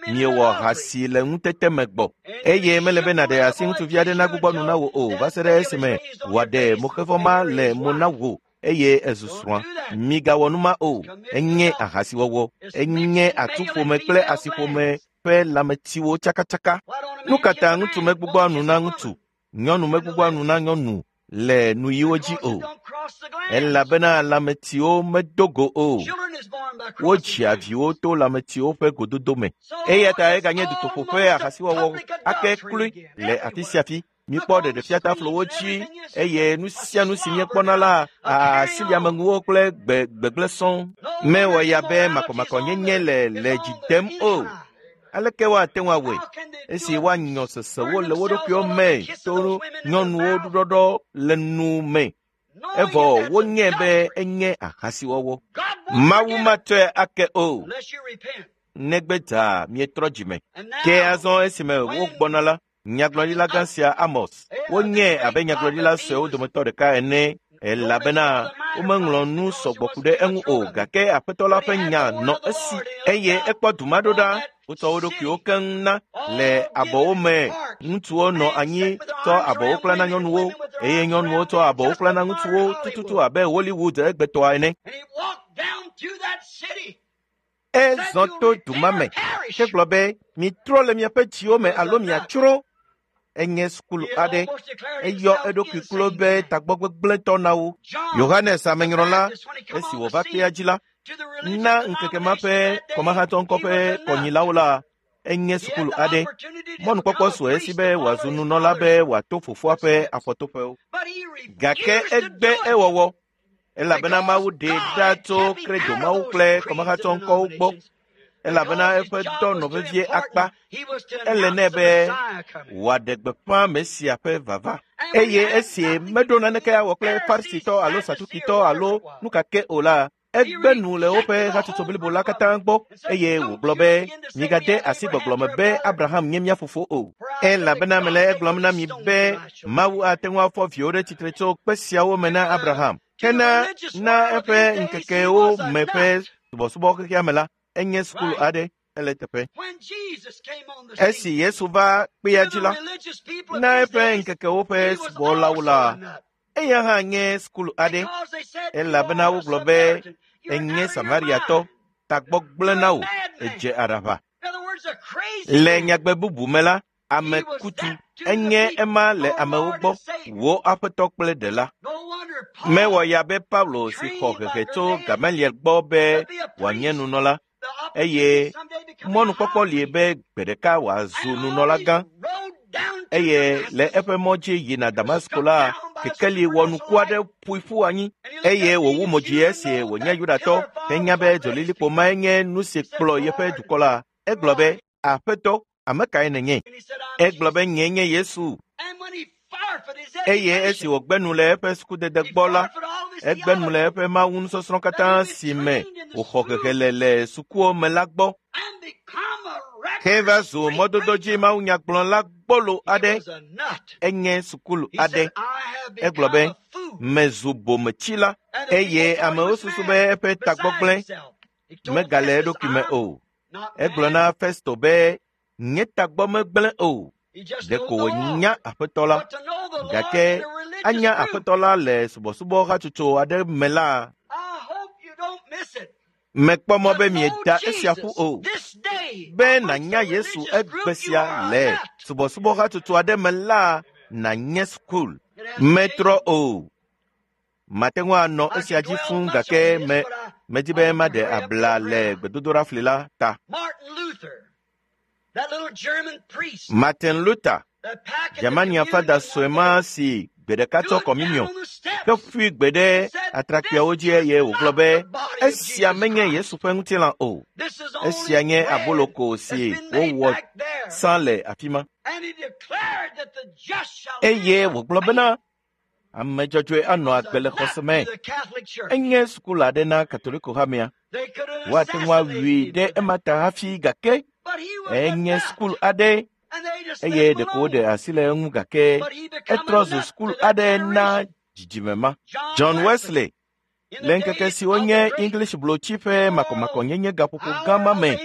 miewɔ ahasi le ŋutete me gbɔ. Eye mele be nàɖe asi ŋutsuvi aɖe nagbugbɔ nu na wò o va se ɖe esime wòaɖe moxevɔ ma le mo na wò eye ezu srɔ̃a. Migawɔ nu ma o. Enye ahasiwɔwɔ. Enye atuƒome kple asiƒome ƒe lãmetiwo tsakatsaka. Nu ka ta ŋutsu megbugbɔa nu na ŋutsu, nyɔnu megbugbɔa nu na nyɔnu le nuyiwo dzi o? Elabena lãmetiwo medo go o. Wodzia viwo to lãmetiwo ƒe gododo me. Eya ta eganye dutoƒo ƒe ahasiwɔwɔ ake kloe le afi sia afi. Míkpɔ ɖeɖefiataflowo dzi eye nu sia nu si míekpɔna la asiliamenuwo kple gbegblẽ sɔŋ. Mewɔ ya be makɔmakɔnyenye le dzi dem o. Aleke woate ŋu awɔe esi woanyɔ sesewo le wo ɖokuiwo me to nyɔnuwo ɖuɖɔɖɔ le nu me? Evɔ wonyae be enye ahasiwɔwɔ. Mawu matsɔe ake o, negbe dzaa mietrɔ dzime. Ke azɔ esime wogbɔna la, nyagblɔɖila gã sia Amos, wonyae abe nyagblɔɖila suewo dometɔ ɖeka ene elabena womeŋlɔ nu sɔgbɔ ku ɖe eŋu o gake aƒetɔ la ƒe nya nɔ esi eye ekpɔ du ma ɖo ɖa. Wotsɔ wo ɖokuiwo keŋ na le abɔwo me. Ŋutsuwo nɔ anyi tsɔ abɔwo kpla na nyɔnuwo eye nyɔnuwo tsɔ abɔwo kpla na ŋutsuwo tututu abe Hollywood egbetɔa ene. Ezɔ to du ma me hegblɔ be mitrɔ le miaƒe dziwo me alo miatsrɔ̃. Enye sukulu aɖe. Eyɔ eɖokui klo be tagbɔgbegblẽtɔ na wo. Yohanes amenyrɔla esi wòva kpea dzi la, na ŋkeke ma ƒe kɔmahatɔ ŋkɔ ƒe kɔnyilawo la, enye sukulu aɖe. Mɔnukpɔkpɔ su esi be wòazu nunɔla be wòato fofoa ƒe afɔtoƒewo. Gake egbe ewɔwɔ elabena Mawu ɖee ɖa tso kredomawo kple kɔmahatɔ ŋkɔwo gbɔ elabena eƒe dɔ nɔ vevie akpa. Ele nɛ be wòaɖe gbeƒã Mesia ƒe vava. Eye esi meɖo naneke awɔ kple Farisitɔ alo Sadukitɔ alo nu ka ke o la, egbe nu le woƒe hatsotso blibo la katã gbɔ eye wògblɔ be migade asi gbɔgblɔ me be Abraham nye mía fofo o. Elabena mele egblɔm na mi be Mawu ate ŋu afɔ viwo ɖe tsitre tso kpe siawo me na Abraham. Kena na eƒe ŋkekewo me ƒe subɔsubɔ xexea me la, enye sukulu aɖe ele teƒe. Esi Yesu va kpea dzi la, na eƒe ŋkekewo ƒe subɔlawo la, eya hã nye sukulu aɖe elabena wogblɔ be enye Samariatɔ, tagbɔ gblẽ na wò, edze aɖaʋa. Le nyagbe bubu me la, ame kutu enye ema le amewo gbɔ, wò aƒetɔ kple ɖela. Mewɔ ya be Paulo si xɔ hehe tso Gamaliel gbɔ be wòanye nunɔla eye mɔnukpɔkpɔ li be gbe ɖeka wòazu nunɔlagã eye le eƒe mɔ dzi yina Damasko la, kekeli wɔnuku aɖe ƒoe ƒu anyi eye wòwu mo dzi esi wònye Yudatɔ henya be dzolilikpo mae nye nu si kplɔ yeƒe dukɔ la. Egblɔ be, Aƒetɔ, ame kae nènye? Egblɔ be nyee nye Yesu. Eye esi wògbe nu le eƒe sukudede gbɔ la, egbe nu le eƒe Mawu nusɔsrɔ̃ katã si me wòxɔ hehe le le sukuwo me la gbɔ. Heva zu mɔdodo dzi mawunyagblɔla gbɔlo aɖe. Enye sukulu aɖe. Egblɔ be, mezu bometsila eye amewo susu be eƒe tagbɔgblẽ megale eɖokui me o. Egblɔ na Festo be, nye tagbɔ megblẽ o. Ɖeko wònya Aƒetɔ la. Gake anya Aƒetɔ la le subɔsubɔ hatsotso aɖe me la, mekpɔ mɔ be mieda esia ƒu o. Be nànya Yesu egbe sia le subɔsubɔ hatsotso aɖe me la, nànye sukul. Metrɔ o. Mate ŋu anɔ esia dzi fũu gake medi be maɖe abla le gbedodoɖafli la ta. Martin Luther, Germania fada sue ma si gbe ɖeka tsɔ kɔminiɔ ke ƒui gbe ɖe atrakpuiawo dzi eye wògblɔ be esia menye Yesu ƒe ŋutilã o. Esia nye aboloko si wowɔ sã le afi ma. Eye wògblɔ bena ame dzɔdzɔe anɔ agbe le xɔse me. Enye sukulu aɖe na Katoliko hamea. Woate ŋu awui ɖe ema ta hafi gake enye sukulu aɖe eye ɖeko woɖe asi le eŋu gake etrɔ zu sukulu aɖe na dzidzime ma. John Wesley le ŋkeke siwo nye English blotsi ƒe makɔmakɔnyenye gaƒoƒo gã ma me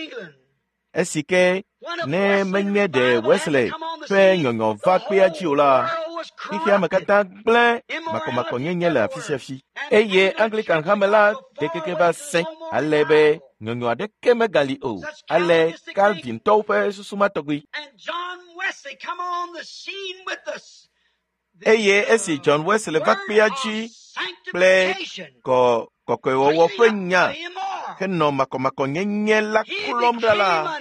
esi ke ne menye ɖe Wesley ƒe nyɔnyɔ va kpea dzi o la, xexea me katã gblẽ makɔmakɔnyenye le afi sia fi. Eye Anglican hame la de keke va sẽ ale be nyɔnyɔ aɖeke megali o. Ale Calvintɔwo ƒe susu ma tɔgbi. Eye esi John Wesley va kpea dzi kple kɔkɔewɔwɔ ƒe nya henɔ makɔmakɔnyenye la klɔm ɖa la,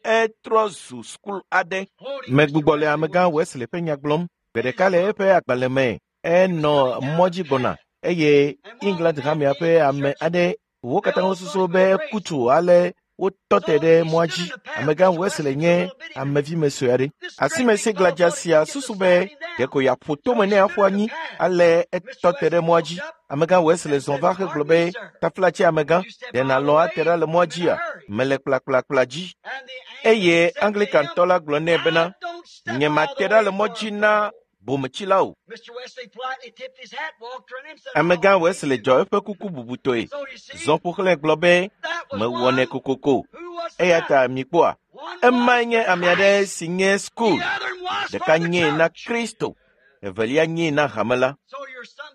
etrɔ zu sukulu aɖe. Megbugbɔ le amegã Wesley ƒe nya gblɔm. Gbe ɖeka le eƒe agbalẽ me, enɔ mɔ dzi gbɔna eye England hamea ƒe ame aɖe wo katã wosusu be eku tso ale wotɔ te ɖe mɔa dzi. Amegã Wesley nye amevime sue aɖe. Asimesi gladza sia susu be ɖeko yeaƒo tome ne aƒu anyi ale etɔ te ɖe mɔa dzi. Amegã Wesley zɔ va hegblɔ be, taflatse amegã, ɖe nàlɔ̃ ate ɖa le mɔa dzia? Mele kplakplakpla dzi. Eye Anglikantɔ la gblɔ nɛ bena, nyemate ɖa le mɔ dzi na bometsila o. Amegã Wesley dzɔ eƒe kuku bubutɔe, zɔ ƒo xlãe gblɔ be, mewɔnɛ kokoko. Eya ta mikpɔa, emae nye ame aɖe si nye sukul. Ɖeka nyee na Kristo, evelia nyee na hame la.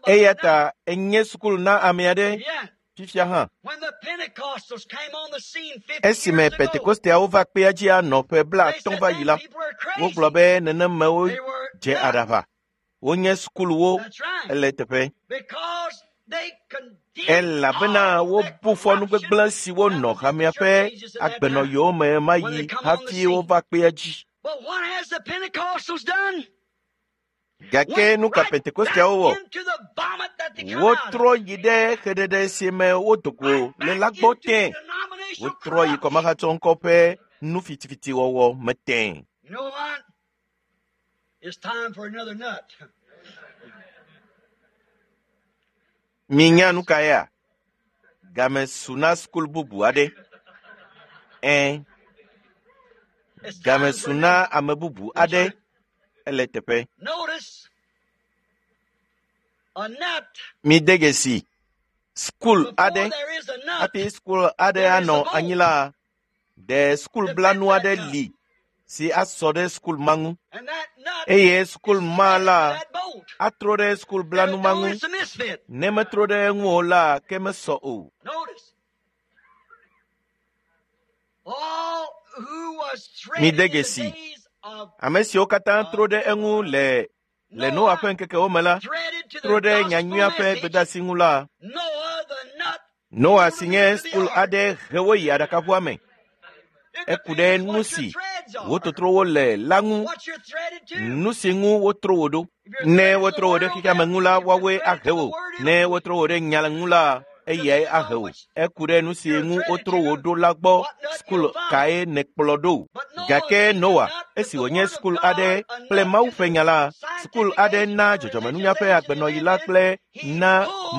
Eya ta enye sukulu na ame aɖe fifia hã. Esime Pentekosteawo va kpea dzi anɔ ƒe 50 va yi la, wogblɔ be nenemewo dze aɖaʋa. Wonye sukuluwo ele teƒe. Elabena wobu fɔ nu gbegblẽ siwo nɔ hamea ƒe agbenɔɣiwo me ma yi hafi wova kpea dzi. Gake nu ka Pentekosteawo wɔ? Wotrɔ yi ɖe xeɖeɖe si me wodo go le la gbɔ tẽ. Wotrɔ yi kɔmahatsɔ ŋkɔ ƒe nu fitifitiwɔwɔ me tẽ. Minya nu ka ya? Game su na sukulu bubu aɖe. Game su na ame bubu aɖe. Ele teƒe. Mide dzesi sukulu aɖe hafi sukulu aɖe anɔ anyi la, ɖe sukulu blanu aɖe li si asɔ ɖe sukulu ma ŋu. Eye sukulu ma la atrɔ ɖe sukulu blanu ma ŋu. Ne metrɔ ɖe eŋu o la, ke mesɔ o. Mide dzesi ame siwo katã trɔ ɖe eŋu le Noa ƒe ŋkekewo me la, trɔ ɖe nyanyuia ƒe gbedeasi ŋu la, Noa si nye sukulu aɖe he wo yi aɖakaʋua me. Eku ɖe nu si wototrowo le la ŋu, nu si ŋu wotro wo ɖo. Ne wotro wo ɖe xexea me ŋu la, woawoe ahe wo. Ne wotro wo ɖe nya ŋu la, eyae ahe wo. Eku ɖe nu si ŋu wotro wo ɖo la gbɔ, sukulu kae nèkplɔ ɖo? Gake Noa, Esi wònye sukulu aɖe kple Mawu ƒe nya la, sukulu aɖe na dzɔdzɔmenunya ƒe agbenɔɣi la kple na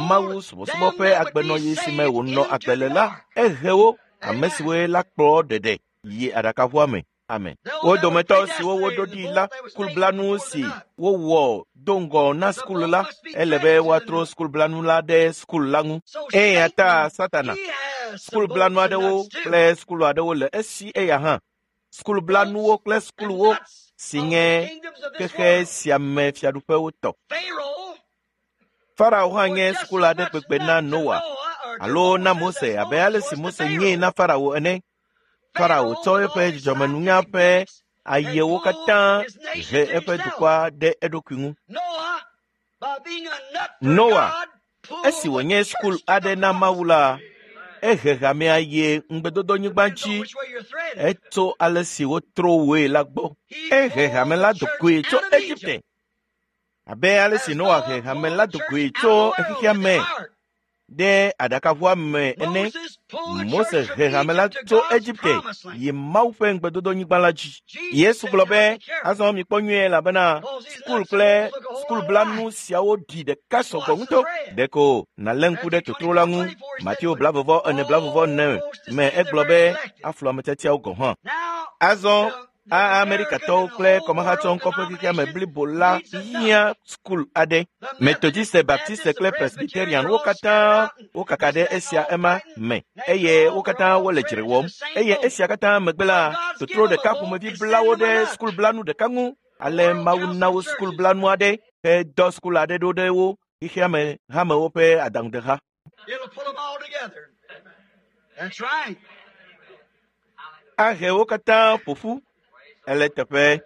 Mawu subɔsubɔ ƒe agbenɔɣi si me wònɔ agbe le la, ehe wo, ame siwoe la kplɔ ɖeɖe yi aɖakaʋua me. Amen. Wo dometɔ siwo woɖo ɖi la, sukulublanu si wowɔ do ŋgɔ na sukulu la, ele be woatrɔ sukulublanu la ɖe sukulu la ŋu. Eya ta Satana, sukulublanu aɖewo kple sukulu aɖewo le esi eya hã. Sukulublanuwo kple sukuluwo si nye xexe sia me fiaɖuƒewo tɔ. Farao hã nye sukulu aɖe kpekpe na Noa alo na Mose abe ale si Mose nyee na Farao ene. Farao tsɔ eƒe dzɔdzɔmenunya ƒe ayewo katã he eƒe dukɔa ɖe eɖokui ŋu. Noa, esi wònye sukulu aɖe na Mawu la, ehe hamea yi ŋugbedodonyigba dzi etso ale si wotro woe la gbɔ. Ehe hame la do goe tso Egipte abe ale si Noa he hame la do goe tso xexea me ɖe aɖakaʋua me ene. Mose he hame la tso Egipte yi Mawu ƒe ŋugbedodonyigba la dzi. Yesu gblɔ be, azɔ mikpɔ nyuie elabena sukulu kple sukulublanu siawo ɖi ɖeka sɔgbɔ ŋutɔ. Ɖeko nàlé ŋku ɖe totro la ŋu. Mateo 24:44 me egblɔ be aflu ame tiatiawo gɔ̃ hã. Azɔ Amerikatɔwo kple kɔmahatsɔŋkɔ ƒe xexea me blibo la hiã sukulu aɖe. Metodiste, Baptiste kple Presbyterian wo katã wokaka ɖe esia ema me eye wo katã wole dzre wɔm. Eye esia katã megbe la, totro ɖeka ƒomevi bla wo ɖe sukulublanu ɖeka ŋu. Ale Mawu na wo sukulublanu aɖe hedɔ sukulu aɖe ɖo ɖe wo xexea me hamewo ƒe adaŋudeha. Ahe wo katã ƒo ƒu. Ele teƒe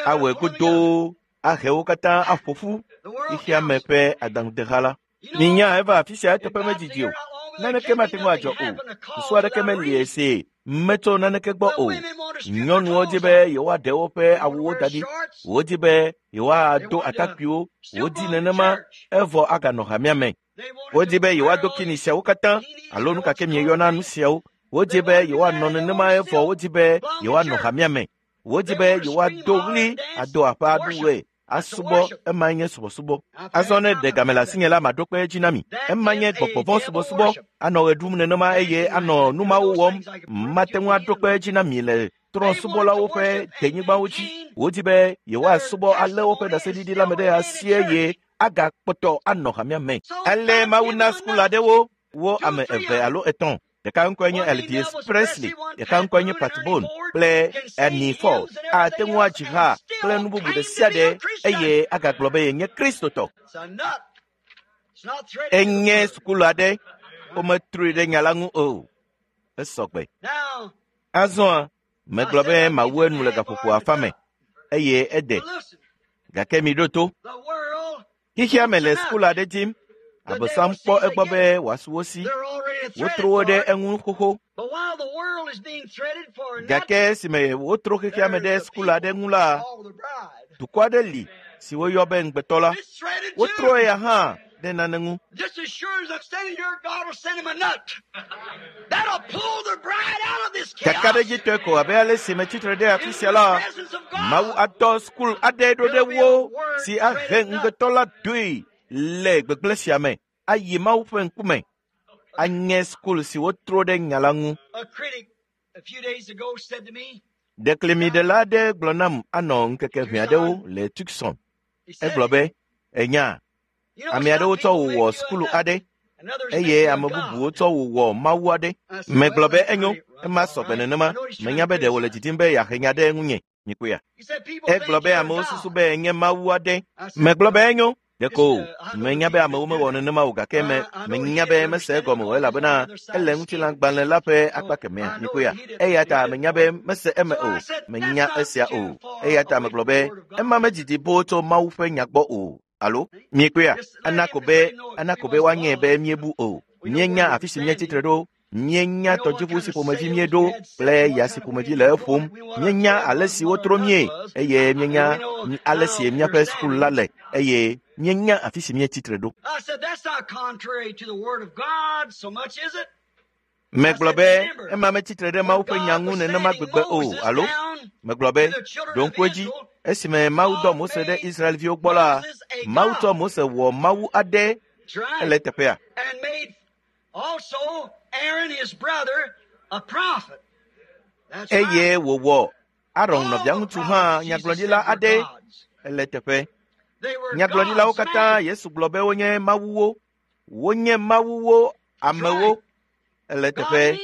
awɔe godoo ahe wo katã aƒo ƒu xexea me ƒe adaŋudeha la. Minya eva afi sia eteƒe medidi o. Naneke mate ŋu adzɔ o. Susu aɖeke meli esi metso naneke gbɔ o. Nyɔnuwo di be yewoaɖe woƒe awuwo da ɖi. Wodi be yewoado atakpuiwo. Wodi nenema evɔ aganɔ hamea me. Wodi be yewoado kini siawo katã alo nu ka ke mieyɔna nu siawo. Wodi be yewoanɔ nenema evɔ wodi be yewoanɔ hamea me. Wodi be yewoado ɣli ado aƒe aɖuwoe asubɔ ema nye subɔsubɔ. Azɔ ne ɖe game le asinye la maɖo kpe edzi na mi. Ema nye gbɔgbɔvɔ̃ subɔsubɔ anɔ ɣe ɖum nenema eye anɔ nu mawo wɔm. Mate ŋu aɖo kpe edzi na mi le trɔ̃subɔlawo ƒe denyigbawo dzi. Wodi be yewoasubɔ alé woƒe ɖaseɖiɖi la me ɖe asi eye agakpɔtɔ anɔ hamea me. Ale Mawu na sukulu aɖewo wo ame eve alo etɔ̃. Ɖeka ŋkɔe nye Elvis Presley, ɖeka ŋkɔe nye Pat Boone kple Ernie Ford. Ate ŋu adzi ha kple nu bubu ɖe sia ɖe eye agagblɔ be yenye Kristotɔ. Enye sukulu aɖe, wometrɔe ɖe nya la ŋu o. Esɔgbe. Azɔa, megblɔ be mawu enu le gaƒoƒo afa me eye ede. Gake miɖo to. Xexea me le sukulu aɖe dim. Abosam kpɔ egbɔ be wòasu wo si. Wotro wo ɖe eŋu xoxo. Gake esime wotro xexea me ɖe sukulu aɖe ŋu la, dukɔ aɖe li si woyɔ be ŋugbetɔ la. Wotro eya hã ɖe nane ŋu. Kakaɖedzitɔe ko abe ale si metsitre ɖe afi sia la, Mawu adɔ sukulu aɖe ɖo ɖe wo si ahe ŋugbetɔ la doe le gbegblẽ sia me ayi Mawu ƒe ŋkume. Anye sukulu si wotro ɖe nya la ŋu. Ɖeklemiɖela aɖe gblɔ nam anɔ ŋkeke ʋɛ aɖewo le Tucson. Egblɔ be, enya, ame aɖewo tsɔ wò wɔ sukulu aɖe eye ame bubuwo tsɔ wò wɔ Mawu aɖe. Megblɔ be enyo, ema sɔgbe nenema. Menya be ɖe wòle didim be yeahe nya ɖe ŋunye. Mikpɔea? Egblɔ be amewo susu be enye Mawu aɖe. Megblɔ be enyo. Ɖeko menya be amewo mewɔ nenema o gake menya be mese egɔme o elabena ele ŋutilãgbalẽ la ƒe akpa kemɛa. Mikpɔea? Eya ta menya be mese eme o. Menya esia o. Eya ta megblɔ be ema medidi boo tso Mawu ƒe nya gbɔ o. Alo miekpɔea? Ana ko be woanye be míebu o. Míenya afi si míetsitre ɖo. Míenya tɔdziʋu si ƒomevi míeɖo kple ya si ƒomevi le eƒom. Míenya ale si wotro míe eye míenya ale si míaƒe sukulu la le eye míenya afi si míetsitre ɖo. Megblɔ be ema metsitre ɖe Mawu ƒe nya ŋu nenema gbegbe o, alo? Megblɔ be, ɖo ŋku edzi, esime Mawu dɔ Mose ɖe Israelviwo gbɔ la, Mawu tsɔ Mose wɔ Mawu aɖe ele teƒea. Eye wòwɔ Aron nɔviaŋutsu hã nyagblɔɖila aɖe ele teƒe. Nyagblɔɖilawo katã Yesu gblɔ be wonye mawuwo. Wonye mawuwo amewo ele teƒe.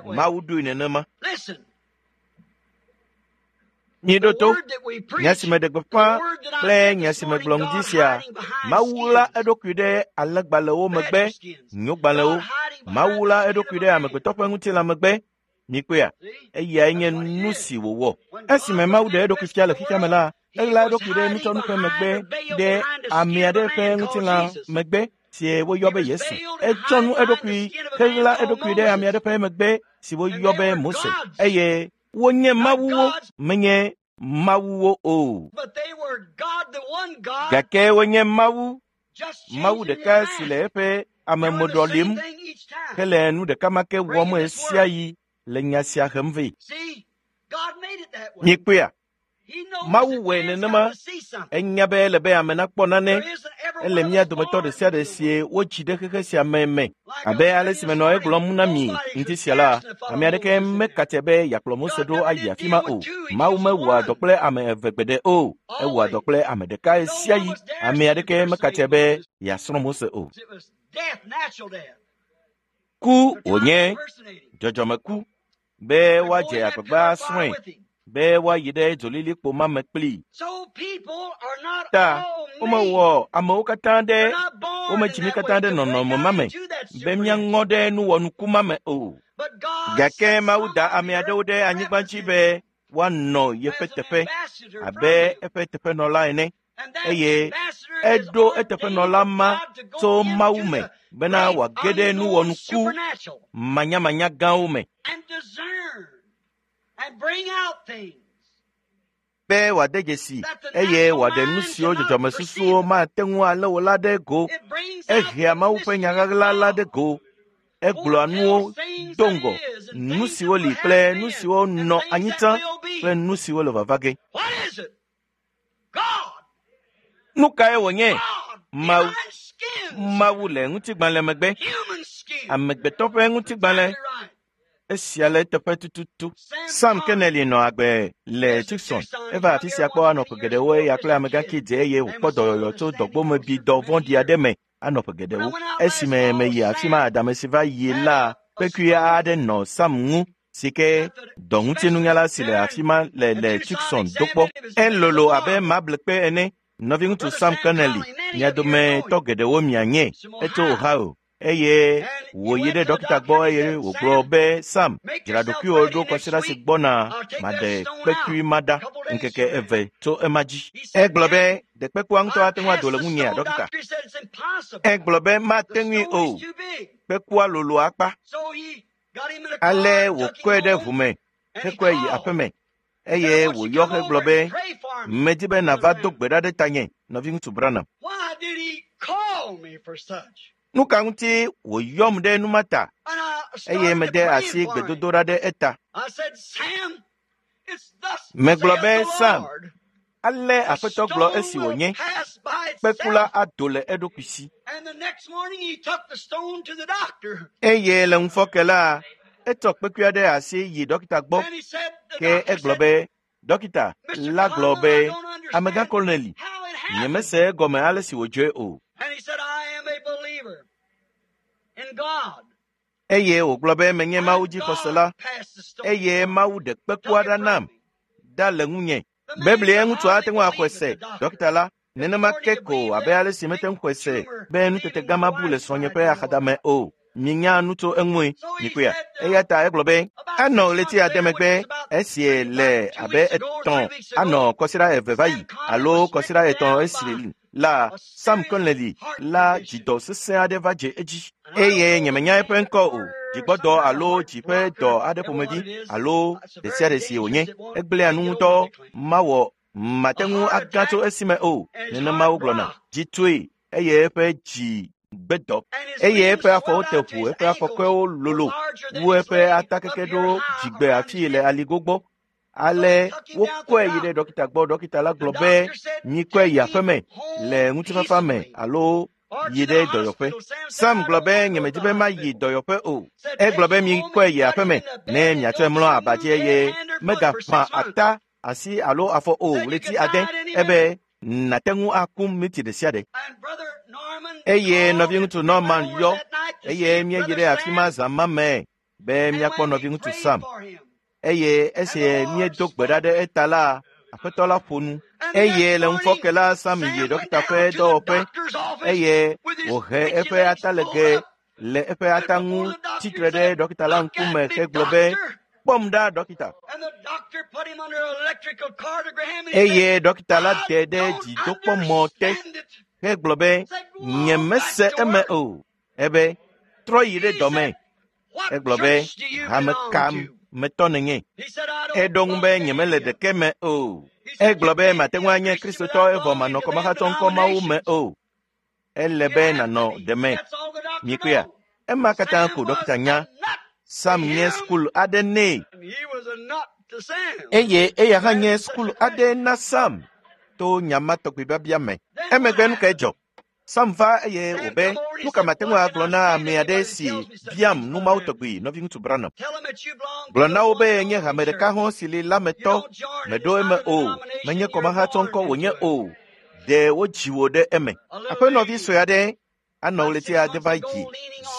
Mawu ɖoe nenema. Miɖo to nya si meɖe gbeƒã kple nya si megblɔ ŋdi sia. Mawu ɣla eɖokui ɖe alẽgbalẽwo megbe, nyogbalẽwo. Mawu ɣla eɖokui ɖe amegbetɔ ƒe ŋutilã megbe. Mikpɔea? Eyae nye nu si wòwɔ. Esime Mawu ɖe eɖokui fia le xexea me la, eɣla eɖokui ɖe nutsɔnu ƒe megbe ɖe ame aɖe ƒe ŋutilã megbe si woyɔ be Yesu. Etsɔ nu eɖokui heɣla eɖokui ɖe ame aɖe ƒe megbe si woyɔ be Mose eye wonye mawuwo menye mawuwo o. Gake wonye Mawu, Mawu ɖeka si le eƒe amemoɖɔ lim hele nu ɖeka ma ke wɔm ɣesiaɣi le nya sia hem vɛ. Mikpɔea? Mawu wɔe nenema. Enya be ele be ame nakpɔ nane. Ele mía dometɔ ɖe sia ɖe sie wotsi ɖe xexe sia me me. Abe ale si menɔ egblɔm na mi ŋdi sia la, ame aɖeke mekatse be yeakplɔ Mose ɖo ayi afi ma o. Mawu mewɔa dɔ kple ame eve gbeɖe o. Ewɔa dɔ kple ame ɖeka ɣesiaɣi. Ame aɖeke mekatse be yeasrɔ̃ Mose o. Ku wònye dzɔdzɔmeku be woadze agbagba asrɔ̃e be woayi ɖe dzolilikpo ma me kplii. Ta womewɔ amewo katã ɖe womedzi mí katã ɖe nɔnɔme ma me be míaŋɔ ɖe nuwɔnuku ma me o. Gake Mawu da ame aɖewo ɖe anyigba dzi be woanɔ yeƒe teƒe abe eƒe teƒenɔla ene eye eɖo eteƒenɔla ma tso Mawu me bena wòage ɖe nuwɔnuku manyamanya gãwo me. Be wòade dzesi eye wòaɖe nu siwo dzɔdzɔmesusuwo mate ŋu alé o la ɖe go. Ehea Mawu ƒe nya ɣaɣla la ɖe go. Egblɔa nuwo do ŋgɔ, nu siwo li kple nu siwo nɔ anyi tsã kple nu siwo le vava ge. Nu kae wònye? Mawu. Mawu le ŋutigbalẽ megbe. Amegbetɔ ƒe ŋutigbalẽ. Esia le eteƒe tututu. Sam Kennedy nɔ agbe le Tucson. Eva afi sia kpɔ anɔ ƒe geɖewo eya kple amegãxi dze eye wòkpɔ dɔyɔyɔ tso dɔgbomebidɔ vɔ̃ɖi aɖe me anɔ ƒe geɖewo. Esime meyi afi ma adame si va yi la, kpekui aɖe nɔ Sam ŋu si ke dɔŋutinunyala si le afi ma le le Tucson do kpɔ. Elolo abe mablekpe ene. Nɔviŋutsu Sam Kennedy, mia dometɔ geɖewo mianye. Etso Ohio eye wòyi ɖe dɔkita gbɔ eye wògblɔ be Sam, dzra ɖokuiwò ɖo kɔsiɖa si gbɔna maɖe kpekui ma ɖa ŋkeke eve tso ema dzi. Egblɔ be ɖe kpekua ŋutɔ ate ŋu ado le ŋunyea, dɔkita? Egblɔ be mate ŋui o. Kpekua lolo akpa. Ale wòkɔe ɖe ʋu me hekɔe yi aƒeme eye wòyɔ hegblɔ be medi be nàva do gbe ɖa ɖe tanye, nɔviŋutsu Branham. Nu ka ŋuti wòyɔm ɖe nu ma ta eye mede asi gbedodoɖa ɖe eta? Megblɔ be Sam, ale Aƒetɔ gblɔ esi wònye, kpekula ado le eɖokui si. Eye le ŋufɔke la, etsɔ kpekui aɖe asi yi dɔkita gbɔ ke egblɔ be dɔkita la gblɔ be amegã Koloneli, nyemese egɔme ale si wòdzɔe o. Eye wògblɔ be menye Mawu dzixɔsela eye Mawu ɖe kpekua ɖa nam ɖa le ŋunye. Biblia ŋutsu ate ŋu axɔe se, dɔkita la, nenema ke ko abe ale si mete ŋu xɔe se be nutete gã ma bu le srɔ̃nye ƒe axadame o. Minya nu tso eŋue, mikpɔea? Eya ta egblɔ be anɔ ɣleti ade megbe esie le abe etɔ̃ anɔ kɔsiɖa eve va yi alo kɔsiɖa etɔ̃ esi la Sam Connelly la dzidɔ sesẽ aɖe va dze edzi eye nyemenya eƒe ŋkɔ o. Dzigbɔdɔ alo dzi ƒe dɔ aɖe ƒomevi alo ɖe sia ɖe si wònye. Egblẽa nu ŋutɔ mawɔ mate ŋu agã tso esime o. Nenema wogblɔna. Dzi tsoe eye eƒe dzi gbe dɔ eye eƒe afɔwo te ʋu eƒe afɔkɔewo lolo wu eƒe atakeke ɖo dzigbe afii le aligo gbɔ. Ale wokɔe yi ɖe ɖɔkita gbɔ. Ɖɔkita la gblɔ be mikɔe yi aƒeme le ŋutifafa me alo yi ɖe dɔyɔƒe. Sam gblɔ be nyemedi be mayi dɔyɔƒe o. Egblɔ be mikɔe yi aƒeme ne miatsɔe mlɔ aba dzi eye megaƒã ata asi alo afɔ o ɣleti ade ebe nàte ŋu aku miti ɖe sia ɖe. Eye nɔviŋutsu Norman yɔ eye míeyi ɖe afi ma zã ma me be míakpɔ nɔviŋutsu Sam. Eye esi míedo gbe ɖa ɖe eta la, aƒetɔ la ƒo nu. Eye le ŋufɔke la, Sam yi ɖɔkita ƒe dɔwɔƒe eye wòhe eƒe atalege le eƒe ata ŋu tsitre ɖe ɖɔkita la ŋkume hegblɔ be, kpɔm ɖa ɖɔkita. Eye ɖɔkita la te ɖe dzidokpɔmɔ te hegblɔ be, nyemese eme o. Ebe, trɔ yi ɖe dɔme. Egblɔ be, hame ka metɔ nènye? Eɖo ŋu be nyemele ɖeke me o. Egblɔ be mate ŋu anye Kristotɔ evɔ manɔ kɔmahatsɔ ŋkɔ mawo me o. Ele be nànɔ ɖeme. Mikpɔea? Ema katã ko ɖɔkita nya. Sam nye sukulu aɖe nɛ. Eye eya hã nye sukulu aɖe na Sam to nya ma tɔgbi biabia me. Emegbe nu kae dzɔ? Sam va eye wòbe, nu ka mate ŋu agblɔ na ame aɖe si biam nu mawo tɔgbi nɔviŋutsu Branham? Gblɔ na wo be nye hame ɖeka hɔ̃ si li la me tɔ, meɖo eme o, menye kɔmahatsɔ ŋkɔ wònye o, ɖe wodzi wò ɖe eme. Aƒenɔvi sue aɖe anɔ ɣleti ade va dzi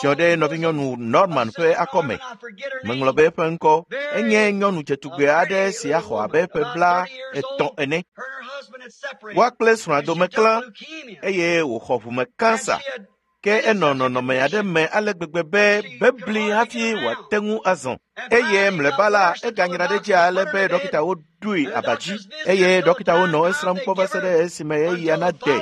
ziɔ ɖe nɔvinyɔnu Norman ƒe akɔme. Meŋlɔ be eƒe ŋkɔ enye nyɔnu dzetugbe aɖe si axɔ abe ƒe 30 ene. Woa kple srɔ̃a dome klã eye wòxɔ ʋume kansa. Ke enɔ nɔnɔme aɖe me ale gbegbe be bebli hafi wòate ŋu azɔ. Eye mlɔeba la, eganyra ɖe edzi ale be ɖɔkitawo ɖoe aba dzi eye ɖɔkitawo nɔ esrãm kpɔ va se ɖe esime eya nade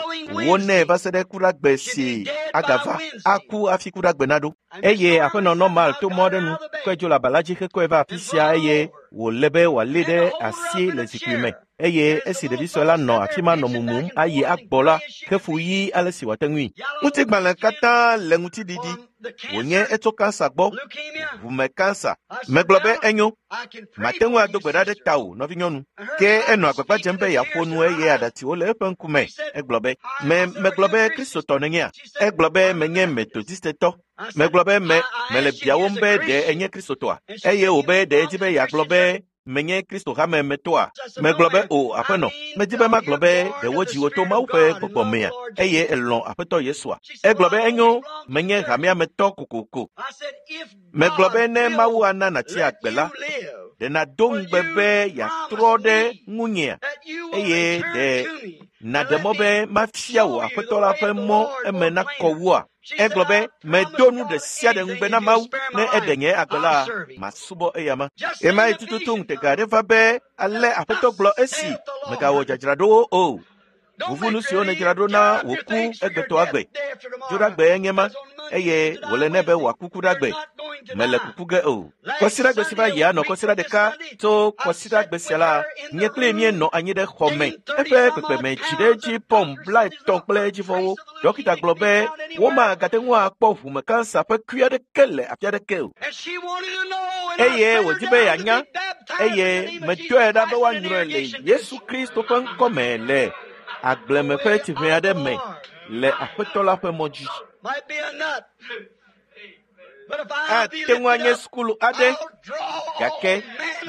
wo nɛ va se ɖe kuɖagbe si agava aku hafi kuɖagbe naɖo. Eye aƒenɔ Norman to mɔ aɖe nu kɔe dzo le aba la dzi hekɔe va afi sia eye wòle be wòalée ɖe asi le zikpui me. Eye esi ɖevi sue la nɔ afi ma nɔ mumum ayi agbɔ la, hefu ɣi ale si wòate ŋui. Ŋutigbalẽ katã le ŋutiɖiɖi. Wònye etso kansa gbɔ, ʋume kansa. Megblɔ be enyo, mate ŋu ado gbe ɖa ɖe tawò, nɔvinyɔnu. Ke enɔ agbagba dzem be yeaƒo nu eye aɖatsiwo le eƒe ŋkume. Egblɔ be, me megblɔ be Kristotɔ nènyea? Egblɔ be menye Metodistetɔ. Megblɔ be me mele biawòm be ɖe enye Kristotɔa? Eye wòbe ɖe edzi be yeagblɔ be menye Kristo hame metɔa? Megblɔ be o, aƒenɔ. Medi be magblɔ be ɖe wodzi wò to Mawu ƒe gbɔgbɔ mea? Eye elɔ̃ Aƒetɔ Yesua. Egblɔ be enyo, menye hamea me tɔ kokoko. Megblɔ be ne Mawu ana nàtsi agbe la, ɖe nàdo ŋugbe be yeatrɔ ɖe ŋunyea? Eye ɖe nàɖe mɔ be mafia wò Aƒetɔ la ƒe mɔ eme nakɔ wua? Egblɔ be, medo nu ɖe sia ɖe ŋugbe na Mawu ne eɖe nye agbe la, masubɔ eyama. Ɣemaɣi tututu ŋutega aɖe va be ale Aƒetɔ gblɔ esi megawɔ dzadzraɖowo o. Vuvu nu siwo nèdzra ɖo na wò ku egbetɔ agbe. Dzoɖagbe enye ma eye wòle nɛ be wòaku kuɖagbe. Mele kuku ge o. Kɔsiɖagbe si va yi anɔ kɔsiɖa ɖeka tso kɔsiɖagbe sia la, nye kpli míenɔ anyi ɖe xɔ me. Eƒe kpekpeme dzi ɖe edzi pɔm 30 kple edzivɔwo. Ɖɔkita gblɔ be womagate ŋu akpɔ ʋume kansa ƒe kui aɖeke le afi aɖeke o. Eye wòdi be yeanya eye medɔe ɖa be woanyrɔe le Yesu Kristo ƒe ŋkɔme le agbleme ƒe tsiʋe aɖe me le Aƒetɔ la ƒe mɔ dzi. Ate ŋu anye sukulu aɖe, gake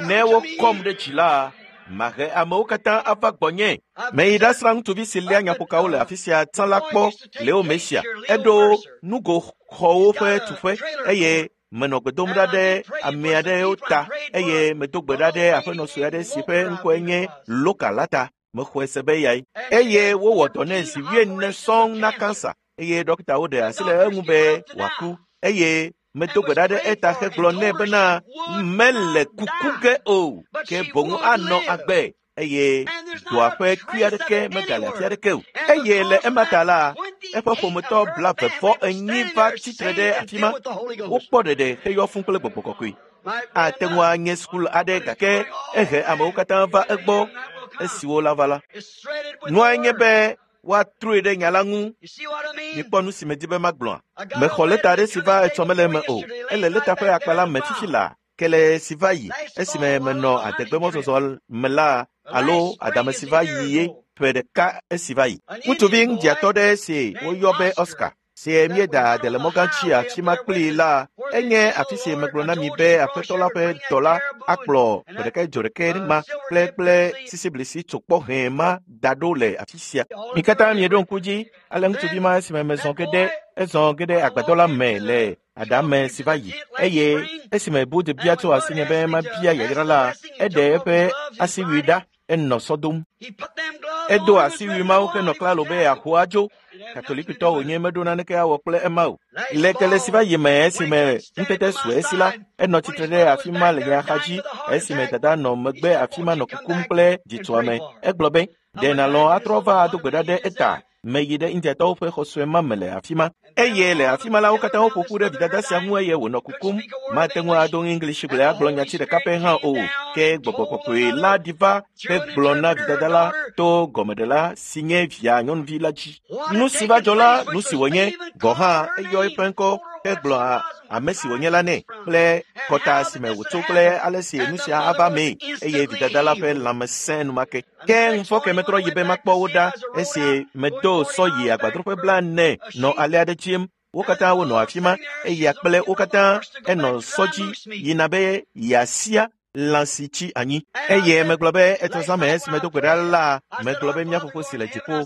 ne wokɔm ɖe dzi la, mahe amewo katã ava gbɔnye. Meyi ɖasrã ŋutsuvi si léa nyaƒokawo le afi sia tsã la kpɔ Leo Mesia. Eɖo nugoxɔwo ƒe tuƒe eye menɔ gbe dom ɖa ɖe ame aɖewo ta eye medo gbe ɖa ɖe aƒenɔ sue aɖe si ƒe ŋkɔe nye Loka la ta. Mexɔe se be eyae. Eye wowɔ dɔ nɛ zi 40 sɔŋ na kansa eye ɖɔkitawo ɖe asi le eŋu be wòaku eye medo gbe ɖa ɖe eta hegblɔ nɛ bena mele kuku ge o, ke boŋ anɔ agbe eye dɔa ƒe kui aɖeke megale afi aɖeke o. Eye le ema ta la, eƒe ƒometɔ 44 va tsitre ɖe afi ma. Wokpɔ ɖeɖe heyɔ fũ kple gbɔgbɔ kɔkɔe. Ate ŋu anye sukulu aɖe gake ehe amewo katã va egbɔ esiwo la va la. Nua nye be woatrɔe ɖe nya la ŋu. Mikpɔ nu si medi be magblɔa? Mexɔ lɛta aɖe si va etsɔ mele eme o. Ele lɛta ƒe akpa la me fifi laa. Kele si va yi esime menɔ adegbemɔzɔzɔ me la alo adame si va yi ye ƒe ɖeka esi va yi. Ŋutsuvi ŋdiatɔ ɖe si woyɔ be Oscar si míeda ade le mɔgã tsi afi ma kplii la, enye afi si megblɔ na mi be aƒetɔ la ƒe dɔla akplɔ ƒe ɖeka dzo ɖeke ma kple kple sisiblisi tsokpɔ hɛ̃ ma da ɖo le afi sia. Mi katã mieɖo ŋku dzi ale ŋutsuvi ma esime mezɔ ge ɖe ezɔ ge ɖe agbadɔ la me le adame si va yi eye esime Bud bia tso asinye be mabia yayra la, eɖe eƒe asiwui ɖa enɔ sɔ dom. Edo asiwui mawo henɔ klalo be yeaxɔ adzo. Katolikitɔ wònye meɖo naneke awɔ kple ema o. Le kele si va yi me esime ŋutete su esi la, enɔ tsitre ɖe afi ma le nye axadzi esime dada nɔ megbe afi ma nɔ kukum kple dzitsoame. Egblɔ be, ɖe nàlɔ̃ atrɔ va ado gbe ɖa ɖe eta? Meyi ɖe Indiatɔwo ƒe xɔ sue ma me le afi ma. Eye le afi ma la, wo katã woƒo ƒu ɖe vidada sia ŋu eye wònɔ kukum. Mate ŋu ado English gblẽ agblɔ nyati ɖeka pɛ hã o. Ke gbɔgbɔ kɔkɔe la ɖi va hegblɔ na vidada la to gɔmeɖela si nye via nyɔnuvi la dzi. Nu si va dzɔ la, nu si wònye gɔ̃ hã eyɔ eƒe ŋkɔ hegblɔ ame si wònye la nɛ kple kɔta si me wòtso kple ale si nu sia ava mee eye vidada la ƒe lãme sẽ enumake. Ke ŋufɔke metrɔ yi be makpɔ wo ɖa esi medo sɔ yi agbadroƒe 40 nɔ ale aɖe dzim. Wo katã wonɔ afi ma eya kple wo katã enɔ sɔ dzi yina be yeasia lã si tsi anyi. Eye megblɔ be etsɔ zã me esi medo gbe ɖa la, megblɔ be mía fofo si le dziƒo.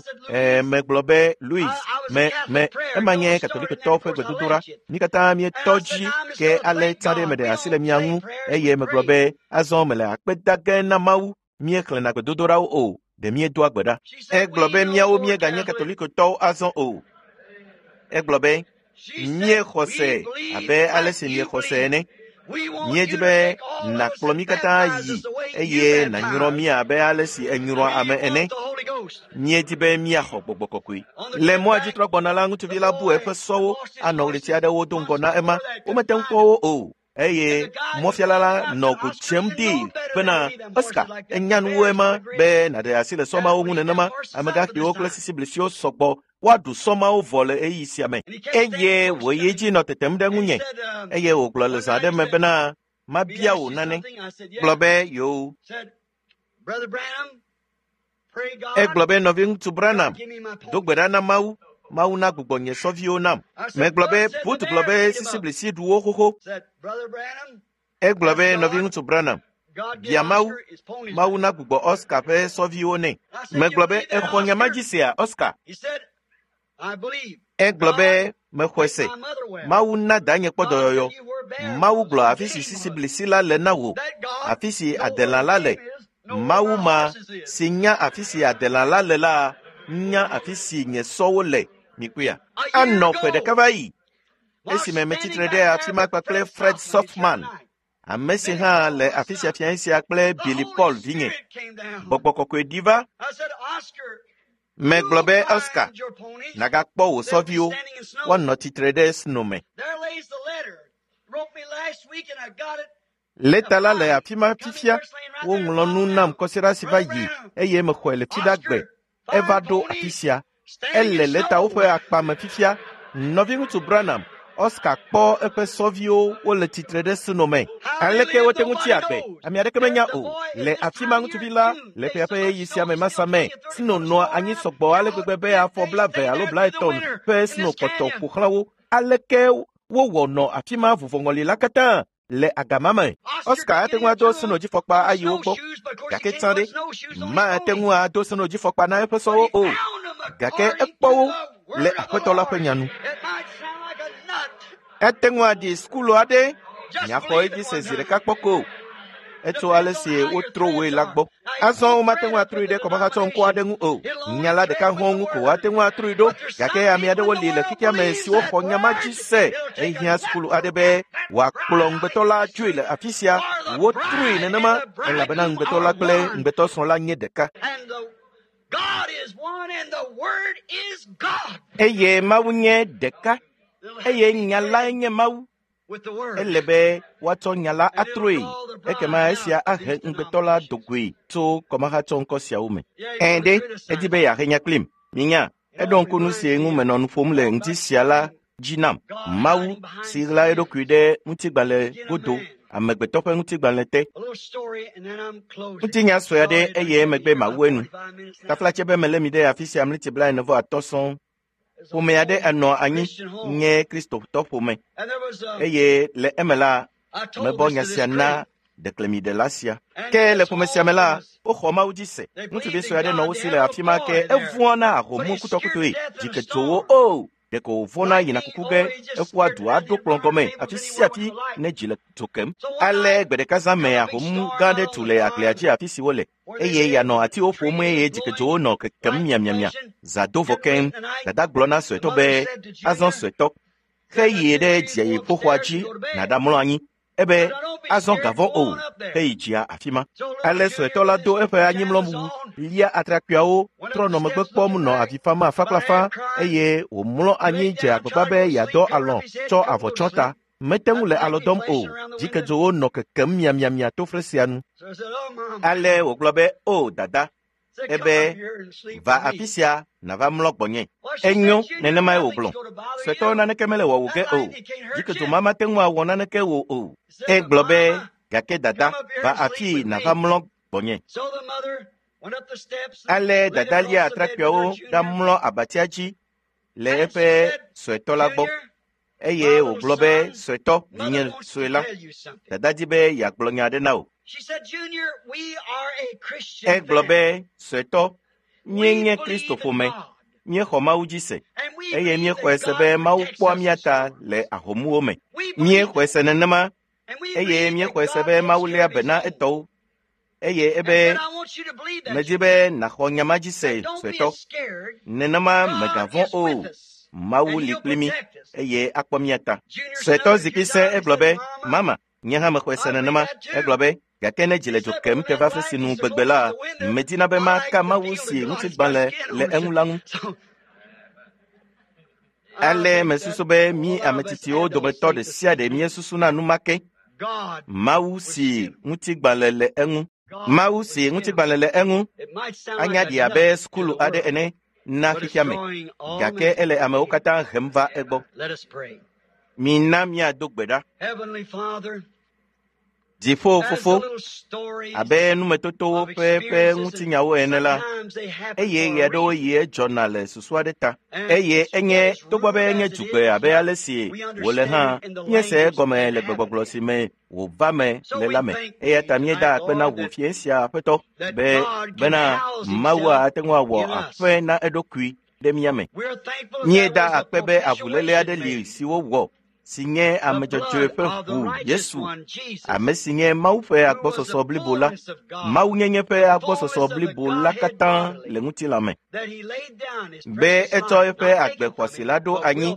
Megblɔ be Louis, me me ema nye katolikotɔwo ƒe gbedodoɖa. Mí katã míetɔ dzi ke ale tsã ɖe meɖe asi le mia ŋu eye megblɔ be azɔ mele akpe da ge na Mawu. Míexlẽna gbedodoɖawo o, ɖe míedoa gbe ɖa. Egblɔ be míawo míeganye katolikotɔwo azɔ o. Egblɔ be míexɔ se abe ale si miexɔ se ene. Míedi be nàkplɔ mí katã yi eye nànyrɔ mí abe ale si enyrɔa ame ene. Míedi be míaxɔ gbɔgbɔ kɔkɔe. Le mɔa dzi trɔ gbɔna la, ŋutsuvi la bu eƒe sɔwo anɔ ɣleti aɖewo do ŋgɔ na ema. Womete ŋu kpɔ wo o. Eye mɔfiala la nɔ go dzem dee bena Oscar enya nuwo ema be nàɖe asi le sɔmawo ŋu nenema. Amegãxiwo kple sisiblisiwo sɔgbɔ woaɖu sɔmawo vɔ le ɣeyiɣi sia me. Eye wòyi edzi nɔ tetem ɖe ŋunye eye wògblɔ le zã aɖe me bena mabia wò nane. Gblɔ be yoo. Egblɔ be nɔviŋutsu Branham do gbe ɖa na Mawu. Mawu na gbugbɔ nye sɔviwo nam. Megblɔ be Booth gblɔ be sisiblisi ɖu wo xoxo. Egblɔ be nɔviŋutsu Branham bia Mawu, Mawu na gbugbɔ Oscar ƒe sɔviwo nɛ. Megblɔ be exɔ nya ma dzi sea Oscar? Egblɔ be mexɔe se. Mawu na danye kpɔ dɔyɔyɔ. Mawu gblɔ afi si sisiblisi la le na wò, afi si adelã la le. Mawu ma si nya afi si adelã la le la nya afi si nye sɔwo le. Mikpɔea? Anɔ ƒe ɖeka va yi esime metsitre ɖe afi ma kpakple Fred Softman, ame si hã le afi sia fiẽ sia kple Billy Paul vinye. Gbɔgbɔ kɔkɔe ɖi va. Megblɔ be Oscar, nàgakpɔ wò sɔviwo woanɔ tsitre ɖe sno me. Lɛta la le afi ma fifia. Woŋlɔ nu nam kɔsiɖa si va yi eye mexɔe le fiɖagbe. Eva ɖo afi sia. Ele lɛtawo ƒe akpa me fifia. Nɔviŋutsu Branham, Oscar kpɔ eƒe sɔviwo wole tsitre ɖe sno me. Aleke wote ŋu tsi agbe? Ame aɖeke menya o. Le afi ma ŋutsuvi la le ƒea ƒe ɣeyiɣi sia me masa me. Sno nɔa anyi sɔgbɔ ale gbegbe be afɔ 20 alo 30 ƒe sno kpɔtɔ ƒo xlã wo. Aleke wowɔ nɔ afi ma vuvɔŋɔli la katã le agama me? Oscar ate ŋu ado snodzifɔkpa ayi wo gbɔ, gake tsã ɖe, mate ŋu ado snodzifɔkpa na eƒe sɔwo o. Gake ekpɔ wo le aƒetɔ la ƒe nya nu. Ete ŋu aɖi sukulu aɖe, nyaxɔ edzi se zi ɖeka kpɔ ko. Etso ale si wotro woe la gbɔ. Azɔ womate ŋu atrɔe ɖe kɔmahatsɔ ŋkɔ aɖe ŋu o. Nya la ɖeka hɔ̃ ŋu ko woate ŋu atrɔe ɖo. Gake ame aɖewo li le xexea me siwo xɔ nya ma dzi se. Ehiã sukulu aɖe be wòakplɔ ŋugbetɔ la dzoe le afi sia. Wotrɔe nenema elabena ŋugbetɔ la kple ŋugbetɔsrɔ̃ la nye ɖeka. Eye Mawu nye ɖeka. Eye nya lae nye Mawu. Ele be woatsɔ nya la atrɔe ekema esia ahe ŋugbetɔ la dogoe tso kɔmahatsɔ ŋkɔ siawo me. Ɛ̃ ɖe, edi be yeahe nya kplim. Minya, eɖo ŋku nu si ŋu menɔ nu ƒom le ŋdi sia la dzi nam. Mawu si ɣla eɖokui ɖe ŋutigbalẽ godo. amegbetɔ ƒe ŋutigbalẽ te. Ŋutinya sue aɖe eye emegbe mawu enu. Taflatse be melé mi ɖe afi sia mliti 45 sɔŋ. Ƒome aɖe enɔ anyi nye Kristotɔ ƒome eye le eme la mebɔ nya sia na ɖeklemiɖela sia. Ke le ƒome sia me la, woxɔ Mawu dzi se. Ŋutsuvi sue aɖe nɔ wo si le afi ma ke evɔ̃a na ahomu kutɔkutɔe, dziketsowo o. Ɖeko wòvɔ̃na yina kuku ge eƒua du aɖo kplɔ̃ gɔme afi sia afi ne dzi le dzo kem. Ale gbe ɖeka zã me ahomu gã aɖe tu le agblea dzi afi si wole eye yeanɔ atiwo ƒom eye dziketsowo nɔ kekem miamiamia. Zã do vɔ keŋ. Dada gblɔ na suetɔ be, azɔ suetɔ, xe yi ɖe dziƒoxɔa dzi nàɖamlɔ anyi. Ebe azɔ gavɔ̃ o, heyi dzia afi ma. Ale suetɔ la do eƒe anyimlɔwu, lia atrakpuiawo, trɔ nɔ megbe kpɔm nɔ avi fam afã kple afã eye wòmlɔ anyi dze agbagba be yeadɔ alɔ̃ tsɔ avɔ tsyɔ ta. Mete ŋu le alɔ dɔm o. Dzikedzowo nɔ kekem miamiamia to fle sia nu. Ale wògblɔ be, o dada, ebe va afi sia nàva mlɔ gbɔnye. Enyo, nenemae wògblɔ. Suetɔ naneke mele wɔwò ge o. Dzikedzo ma mate ŋu awɔ naneke wò o. Egblɔ be, gake dada, va afii nàva mlɔ gbɔnye. Ale dada lia atrakpuiawo ɖamlɔ abatia dzi le eƒe suetɔ la gbɔ. Eye wògblɔ be, suetɔ, vinye sue la, dada di be yeagblɔ nya aɖe na wò. Egblɔ be, suetɔ, míenye Kristo ƒome, míexɔ Mawu dzi se eye míexɔe se be Mawu kpɔa mía ta le ahomuwo me. Míexɔe se nenema eye míexɔe se be Mawu léa be na etɔwo. Eye ebe medi be nàxɔ nya ma dzi se, suetɔ. Nenema mègavɔ̃ o. Mawu li kpli mí eye akpɔ mía ta. Suetɔ zikpui sẽ egblɔ be, mama, nye hã mexɔe se nenema. Egblɔ be, gake ne dzi le dzo kem ke va fi si nu gbegbe la, medina be maka Mawu si ŋutigbalẽ le eŋu la ŋu. Ale mesusu be mí ame tsitsiwo dometɔ ɖe sia ɖe míesusuna nu ma ke. Mawu si ŋutigbalẽ le eŋu. Mawu si ŋutigbalẽ le eŋu anya ɖi abe sukulu aɖe ene na xexea me, gake ele amewo katã hem va egbɔ. Mina míado gbe ɖa. Dziƒo fofo, abe numetotowo ƒe ŋutinyawo ene la, eye ɣe aɖewo yi edzɔna le susu aɖe ta. Eye enye togbɔ be enye dzugbe abe ale si wòle hã, míese egɔme le gbegbɔgblɔ si me wòva me le la me. Eya ta míeda akpe na wò fie sia aƒetɔ be bena Mawua ate ŋu awɔ aƒe na eɖokui ɖe mía me. Míeda akpe be avuléle aɖe li si wowɔ si nye ame dzɔdzɔe ƒe ʋu Yesu, ame si nye Mawu ƒe agbɔsɔsɔ blibo la, Mawunyenye ƒe agbɔsɔsɔ blibo la katã le ŋutilã me. Be etsɔ eƒe agbe xɔasi la ɖo anyi,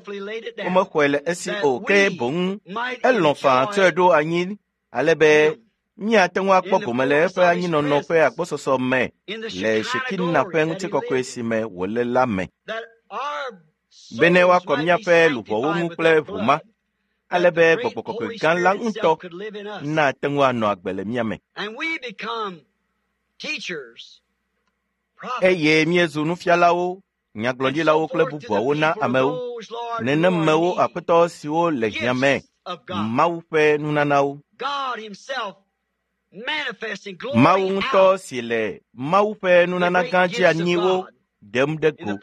womexɔe le esi o, ke boŋ elɔ̃ faa tsɔe ɖo anyi ale be míate ŋu akpɔ gome le eƒe anyinɔnɔ ƒe agbɔsɔsɔ me le Shekina ƒe ŋutikɔkɔe si me wòle la me. Bene woakɔ míaƒe luʋɔwo ŋu kple ʋu ma, ale be gbɔgbɔ kɔkɔe gã la ŋutɔ nate ŋu anɔ agbe le mía me. Eye míezu nufialawo, nyagblɔɖilawo kple bubuawo na amewo. Nenemewo aƒetɔ siwo le hiã me, Mawu ƒe nunanawo. Mawu ŋutɔ si le Mawu ƒe nunana gã dzi anyiwo ɖem ɖe go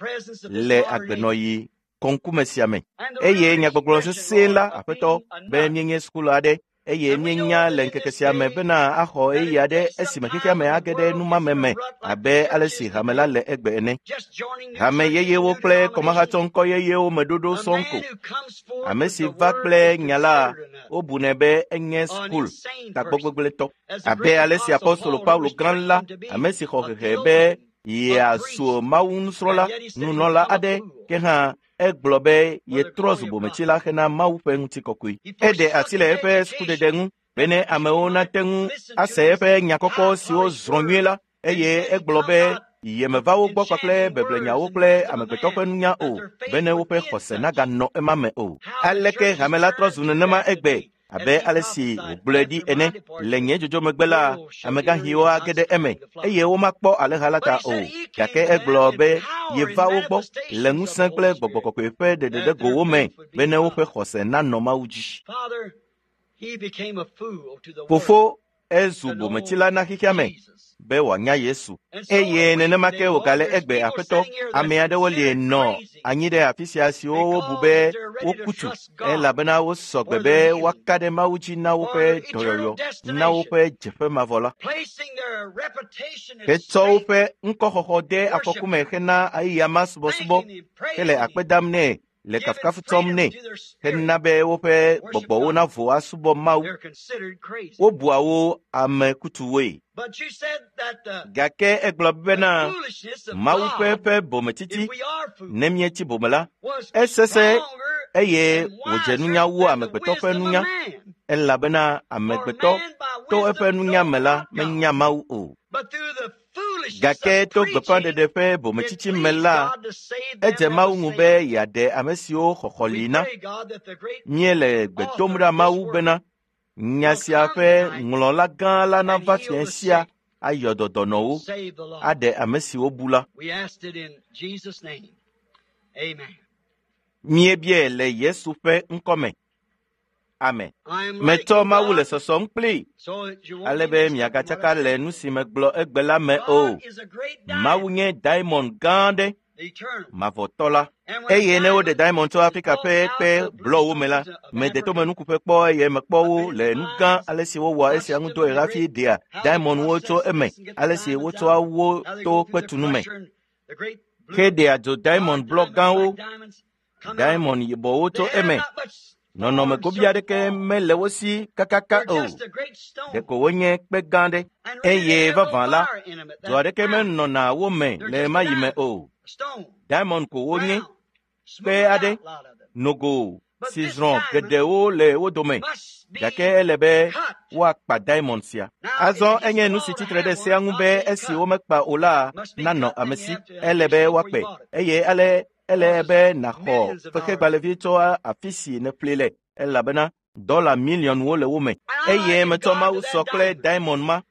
le agbenɔɣi kɔŋkume sia me. Eye nyagbɔgblɔ sesẽ la, aƒetɔ, be míenye sukulu aɖe eye míenya le ŋkeke sia me bena axɔ ɣeyiɣi aɖe esime xexea me age ɖe numame me abe ale si hame la le egbe ene. Hame yeyewo kple kɔmahatsɔŋkɔ yeyewo me ɖoɖo sɔŋ ko. Ame si va kple nya la, wobunɛ be enye sukulu tagbɔgbegblẽtɔ. Abe ale si apostolo Paulo gã la, ame si xɔ hehe be yeazu Mawu nusrɔ̃la, nunɔla aɖe, ke hã egblɔ be yetrɔ zu bometsila hena Mawu ƒe ŋutikɔkɔe. Eɖe asi le eƒe sukudede ŋu bene amewo nate ŋu ase eƒe nya kɔkɔ siwo zrɔ̃ nyuie la, eye egblɔ be yemeva wo gbɔ kpakple beblenyawo kple amegbetɔ ƒe nunya o, bene woƒe xɔse naganɔ ema me o. Aleke hame la trɔ zu nenema egbe? Abe ale si wògblɔe ɖi ene, le nye dzodzo megbe la, amegãxiwo age ɖe eme eye womakpɔ alẽha la ta o. Gake egblɔ be yeva wo gbɔ le ŋusẽ kple gbɔgbɔ kɔkɔe ƒe ɖeɖeɖegowo me bene woƒe xɔse nanɔ Mawu dzi. Fofo ezu bometsila na xexea me be wòanya Yesu. Eye nenema ke wògale egbe Aƒetɔ, ame aɖewo li nɔ anyi ɖe afi sia siwo wobu be woku tu elabena wosɔ gbe be woaka ɖe Mawu dzi na woƒe dɔyɔyɔ, na woƒe dzeƒe mavɔ la. Hetsɔ woƒe ŋkɔxɔxɔ de afɔku me hena eyama subɔsubɔ hele akpe dam nɛ le kafukafu tsɔm nɛ hena be woƒe gbɔgbɔwo navo asubɔ Mawu. Wobua wo ame kutuwoe. Gake egblɔ bena Mawu ƒe eƒe bometsitsi, ne míetsi bome la, esesẽ eye wòdze nunya wu amegbetɔ ƒe nunya, elabena amegbetɔ to eƒe nunya me la menya Mawu o. Gake to gbeƒãɖeɖe ƒe bometsitsi me la, edze Mawu ŋu be yeaɖe ame siwo xɔxɔ li na. Míele gbe dom ɖa Mawu bena nya sia ƒe ŋlɔla gã la nava fiẽ sia ayɔ dɔ dɔnɔwo, aɖe ame siwo bu la. Míebiae le Yesu ƒe ŋkɔ me. Amen. Metsɔ Mawu le sɔsɔm kplii ale be miagatsaka le nu si megblɔ egbe la me o. Mawu nye diamond gã aɖe, mavɔtɔ la. Eye ne woɖe diamond tso Afrika ƒe kpe blɔwo me la, mede tomenukuƒe kpɔ eye mekpɔ wo le nu gã ale si wowɔa esia ŋu dɔe hafi ɖea diamondwo tso eme, ale si wotsɔa wo to kpetunu me heɖea dzo diamond blɔ gãwo, diamond yibɔwo tso eme. Nɔnɔme gobi aɖeke mele wo si kakaka o. Ɖeko wonye kpe gã aɖe. Eye vavã la, dzo aɖeke menɔna wo me le ɣemaɣi me o. Diamond ko wonye, kpe aɖe, nogo si zrɔ̃ geɖewo le wo dome. Gake ele be woakpa diamond sia. Azɔ enye nu si tsitre ɖe sea ŋu be esi womekpa o la nanɔ ame si. Ele be woakpe eye ale ele be nàxɔ fexegbalẽvi tso afi si nèƒle le elabena dɔla miliɔnwo le wo me. Eye metsɔ Mawu sɔ kple diamond ma.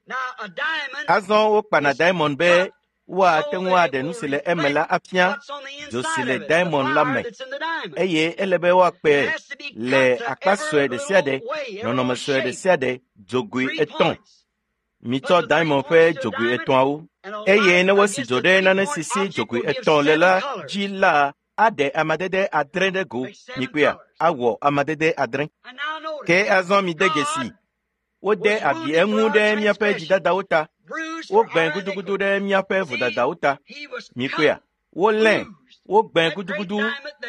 Azɔ wokpana diamond be woate ŋu aɖe nu si le eme la afia dzo si le diamond la me eye ele be woakpe le akpa sue ɖe sia ɖe, nɔnɔme sue ɖe sia ɖe, dzogoe etɔ̃. Mitsɔ diamond ƒe dzogoe etɔ̃awo eye ne wosi dzo ɖe nane si si dzogoe etɔ̃ le la dzi la, aɖe amadede adre ɖe go. Mikpɔea, awɔ amadede adre. Ke azɔ mide dzesi, wode abi eŋu ɖe míaƒe dzidadawo ta, wogbẽ gudugudu ɖe míaƒe vodadawo ta. Mikpɔea, wolé, wogbẽ gudugudu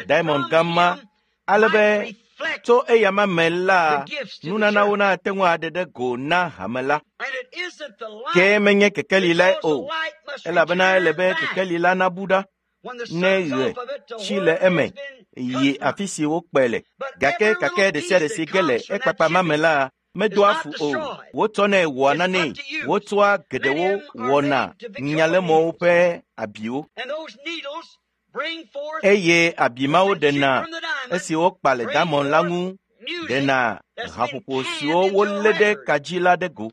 diamond gã ma ale be tso eyama me la, nunanawo nate ŋu aɖe ɖe go na hame la. Ke menye kekeli lae o, elabena ele be kekeli la nabu ɖa ne ɣe tsi le eme yi afi si wokpe le. Gake kake ɖe sia ɖe si ge le ekpakpa ma me la medoa fu o. Wotsɔnɛ wɔa nanee. Wotsɔa geɖewo wɔna nyalemɔwo ƒe abiwo. Eye abi mawo ɖena esi wokpa le diamond la ŋu ɖena haƒoƒo siwo wolé ɖe ka dzi la ɖe go.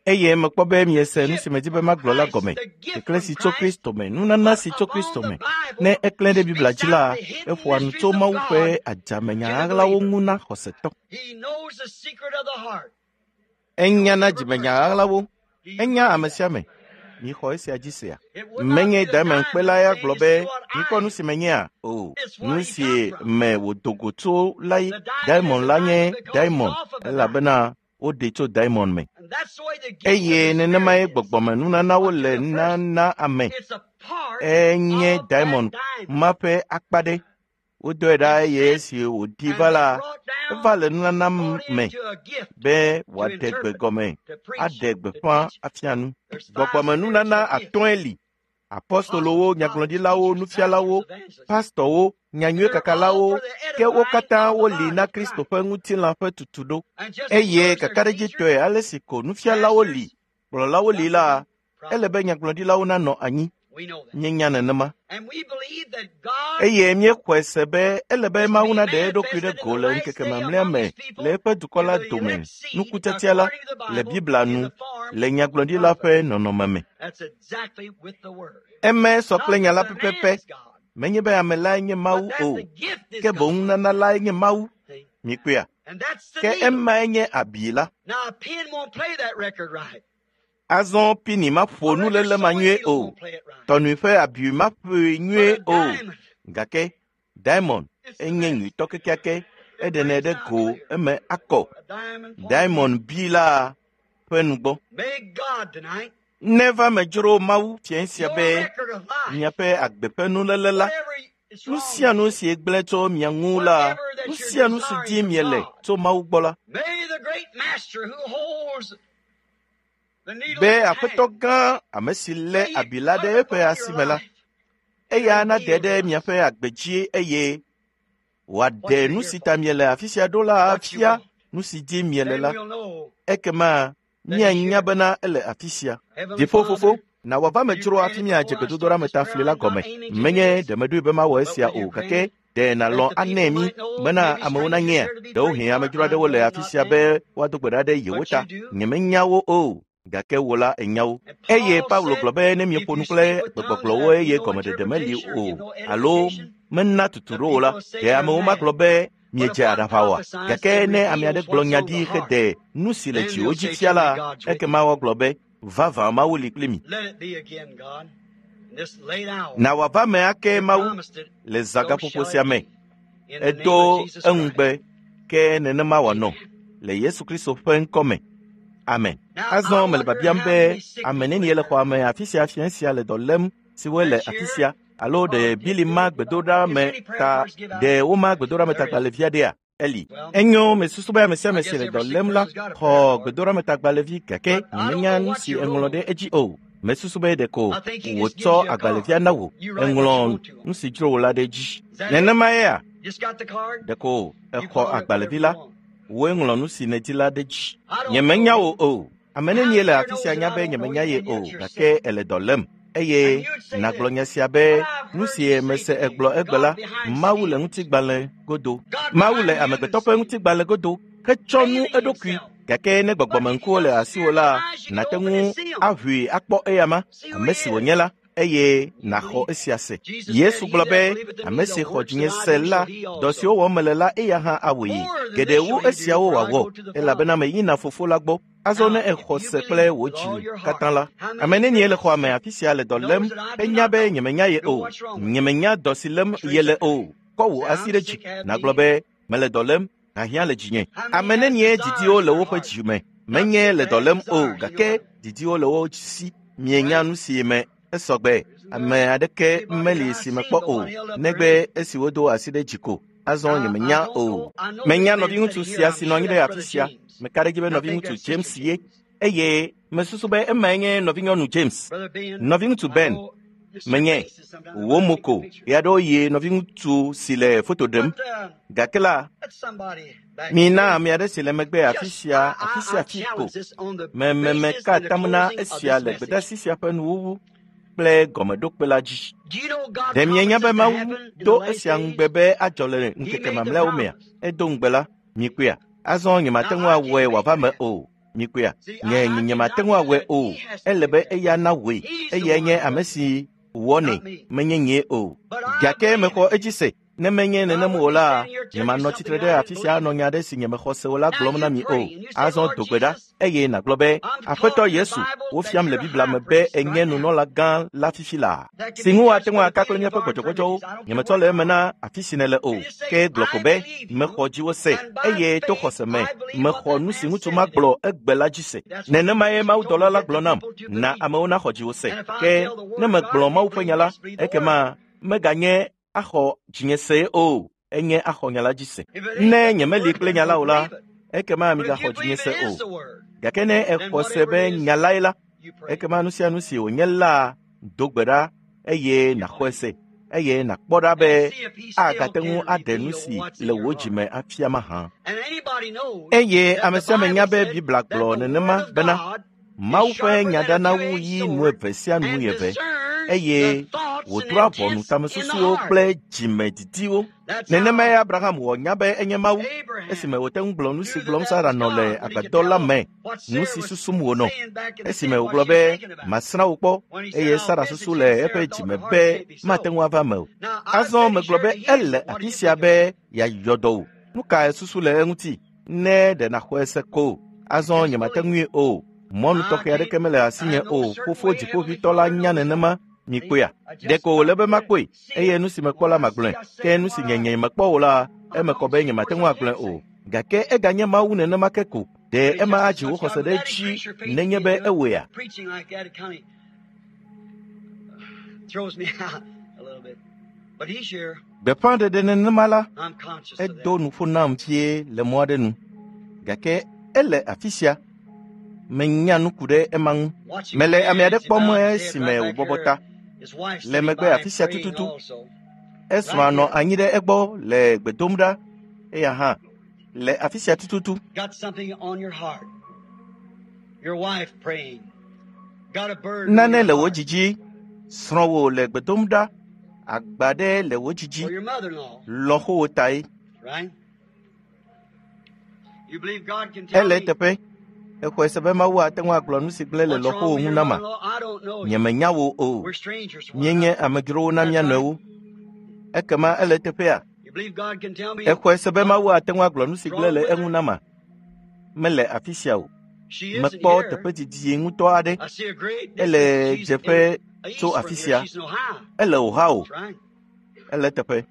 Eye mekpɔ be miese nu si medi be magblɔ la gɔme. Keklẽ si tso Kristo me, nunana si tso Kristo me. Ne eklẽ ɖe Biblia dzi la, eƒoa nu tso Mawu ƒe adzamenya ɣaɣlawo ŋu na xɔsetɔ. Enya na dzimenya ɣaɣlawo. Enya ame sia ame. Mixɔ esia dzi sea. Menye diamond kpela ya gblɔ be mikpɔ nu si menyea o. Nu si me wòdo go tso lae diamond la nye diamond elabena woɖee tso diamond me. Eye nenemae gbɔgbɔmenunanawo le nana ame. Enye diamond ma ƒe akpa ɖe. Wodɔe ɖa eye esi wòɖi va la, eva le nunana me be wòaɖe gbe gɔme, aɖe gbeƒã afia nu. Gbɔgbɔmenunana atɔ̃e li: apostolowo, nyagblɔɖilawo, nufialawo, pastɔwo, nyanyuiekakalawo, ke wo katã woli na Kristo ƒe ŋutilã ƒe tutuɖo. Eye kakaɖedzitɔe ale si ko nufialawo li, kplɔlawo li la, ele be nyagblɔɖilawo nanɔ anyi. Míenya nenema. Eye míexɔe se be ele be Mawu naɖe eɖokui ɖe go le ŋkeke mamlɛa me le eƒe dukɔ la dome nukutete la le Biblia nu le nyagblɔɖila ƒe nɔnɔme me. Eme sɔ kple nya la pɛpɛpɛ. Menye be ame lae nye Mawu o, ke boŋ nunana lae nye Mawu. Mikpɔea? Ke emae nye abi la. Azɔ pini maƒo nuléle ma nyuie o. Tɔnui ƒe abi maƒoe nyuie o. Gake diamond enye nyuitɔ kekeake eɖenɛ ɖe go eme akɔ. Diamond bi la ƒe nugbɔ. Neva me dzro Mawu fiẽ sia be miaƒe agbe ƒe nuléle la, nu sia nu si gblẽ tso mia ŋu la, nu sia nu si dim miele tso Mawu gbɔ la, be Aƒetɔ gã ame si lé abi la ɖe eƒe asi me la, eya nade ɖe miaƒe agbe dzi eye wòaɖe nu si ta miele afi sia ɖo la afia nu si dim miele la. Ekema míanya bena ele afi sia. Dziƒofofo, na wòava me dzro hafi míadze gbedodoɖa me ta fli la gɔme. Menye ɖe meɖoe be mawɔ esia o, gake ɖe nàlɔ̃ anɛ mí bena amewo nanyea? Ɖewohĩ amedzro aɖewo le afi sia be woado gbe ɖa ɖe yewo ta. Nyemenya wo o, gake wò la ènya wo. Eye Paulo gblɔ be ne mieƒo nu kple gbegbɔgblɔwo eye gɔmeɖeɖe meli o alo mena tutu ɖo o la, ɖe amewo magblɔ be miedze aɖaʋa oa? Gake ne ame aɖe gblɔ nya ɖi hede nu si le dziwò dzi fia la, ekema woagblɔ be vavã Mawu li kpli mi. Na wòava me ake Mawu le zãgaƒoƒo sia me. Edo eŋugbe ke nenema wòanɔ le Yesu Kristo ƒe ŋkɔ me. Amen. Azɔ mele biabiam be ame nenie le xɔa me afi sia fiẽ sia le dɔ lém siwoe le afi sia alo ɖe Bili ma gbedoɖa me ta ɖe woma gbedoɖa me tagbalẽvi aɖea? Eli. Enyo mesusu be ame sia ame si le dɔ lém la xɔ gbedoɖametagbalẽvi gake nyemenya nu si eŋlɔ ɖe edzi o. Mesusu be ɖeko wòtsɔ agbalẽvia na wò. Eŋlɔ nu si dzro wò la ɖe edzi. Nenema yea? Ɖeko exɔ agbalẽvi la, wòe ŋlɔ nu si nèdi la ɖe edzi. Nyemenya wò o. Ame nenie le afi sia nya be nyemenya ye o, gake ele dɔ lém. Eye nàgblɔ nya sia be nu si mese egblɔ egbe la, Mawu le ŋutigbalẽ godo. Mawu le amegbetɔ ƒe ŋutigbalẽ godo hetsɔ nu eɖokui. Gake ne gbɔgbɔmeŋkuwo le asiwò la, nàte ŋu aʋui akpɔ eyama, ame si wònye la, eye nàxɔ esia se. Yesu gblɔ be ame si xɔ dzinye se la, dɔ siwo wɔm mele la, eya hã awɔe. Geɖe wu esiawo wòawɔ, elabena meyina Fofo la gbɔ. Azɔ ne exɔ se kple wò dzi katã la, ame nenie le xɔa me afi sia le dɔ lém henya be nyemenya ye o, nyemenya dɔ si lém yele o. Kɔ wò asi ɖe dzi nàgblɔ be mele dɔ lém, hiahiã le dzinye. Ame nenie didiwo le woƒe dzi me, menye le dɔ lém o, gake didiwo le wo si. Mienya nu si me esɔgbe. Ame aɖeke meli si mekpɔ o, negbe esi wodo asi ɖe dzi ko. Azɔ nyemenya o. Menya nɔviŋutsu sia si nɔ anyi ɖe afi sia. Meka ɖe edzi be nɔviŋutsu James ye eye mesusu be emae nye nɔvinyɔnu James. Nɔviŋutsu Ben, menye wò mo ko ɣeaɖewoɣi nɔviŋutsu si le foto ɖem. Gake la, mina ame aɖe si le megbe afi sia afi sia afi ko. Mememeka atam na esia le gbedeasi sia ƒe nuwuwu kple gɔmeɖokpe la dzi. Ɖe mienya be Mawu do esia ŋugbe be adzɔ le ŋkeke mamlɛawo mea? Edo ŋugbe la, mikpɔea? Azɔ nyemate ŋu awɔe wòava me o. Mikpɔea? Nye nyemate ŋu awɔe o. Ele be eya nawɔe. Eyae nye ame si wɔnɛ, menye nyee o. Gake mexɔ edzi se. Ne menye nenem o la, nyemanɔ tsitre ɖe afi sia anɔ nya aɖe si nyemexɔ se o la gblɔm na mi o. Azɔ do gbe ɖa eye nàgblɔ be, Aƒetɔ Yesu, wofiam le Biblia me be ènye nunɔla gã la fifi laa, si ŋu woate ŋu aka kple míaƒe gbɔdzɔgbɔdzɔwo. Nyemetsɔ le eme na afi si nèle o, ke gblɔ ko be, mexɔ dziwò se, eye to xɔse me, mexɔ nu si ŋutsu ma gblɔ egbe la dzi se. Nenemae mawudɔla la gblɔ nam, na amewo naxɔ dziwò se. Ke ne megblɔ Mawu ƒe nya la, ekema meganye axɔ dzinye se o, enye axɔ nya la dzi se. Ne nyemeli kple nya la o la, ekema migaxɔ dzinye se o. Gake ne exɔ se be nya lae la, ekema nu sia nu si wònye la do gbe ɖa eye nàxɔe se eye nàkpɔ ɖa be agate ŋu aɖe nu si le wò dzi me afia mahã. Eye ame sia ame nya be Biblia gblɔ nenema bena Mawu ƒe nya ɖana wu yi nu eve sia nu eve eye wòdrɔ̃a ʋɔnu tamesusuwo kple dzimedidiwo. Nenemae Abraham wɔ nya be enye Mawu esime wòte ŋu gblɔ nu si gblɔm Sara nɔ le agbadɔ la me, nu si susum wònɔ. Esime wògblɔ be, “Masrã wò kpɔ,” eye Sara susu le eƒe dzime be mate ŋu ava eme o. Azɔ megblɔ be ele afi sia be yeayɔ dɔ wò. Nu kae susu le eŋuti? Ne ɖe nàxɔe se ko, azɔ nyemate ŋui o. Mɔnu tɔxɛ aɖeke mele asinye o. Fofo Dziƒoʋĩtɔ la nya nenema. Mikpɔea? Ɖeko wòle be makpɔe, eye nu si mekpɔ la magblɔe. Ke nu si nye nyemekpɔ o la, eme kɔ be nyemate ŋu agblɔe o. Gake eganye Mawu nenema ke ko. Ɖe ema adzi wò xɔse ɖe edzi nenye be ewɔea? Gbeƒãɖeɖe nenema la, edo nuƒo nam vie le mɔ aɖe nu. Gake ele afi sia. Menya nu ku ɖe ema ŋu. Mele ame aɖe kpɔm esime wòbɔbɔ ta le megbe afi sia tututu. Esrɔ̃a nɔ anyi ɖe egbɔ le gbe dom ɖa. Eya hã le afi sia tututu. Nane le wò dzi dzi. Srɔ̃wò le gbe dom ɖa. Agba ɖe le wò dzi dzi. Lɔ̃xowò tae. Ele eteƒe. Exɔe se be Mawu ate ŋu agblɔ nu si gblẽ le lɔ̃xowò ŋu nama. Nyemenya wò o. Míenye amedzrowo na mía nɔewo. Ekema ele eteƒea? Exɔe se be Mawu ate ŋu agblɔ nu si gblẽ le eŋu nama. Mele afi sia o. Mekpɔ teƒe didi ŋutɔ aɖe. Ele dzeƒe tso afi sia. Ele Ohio. Ele eteƒe.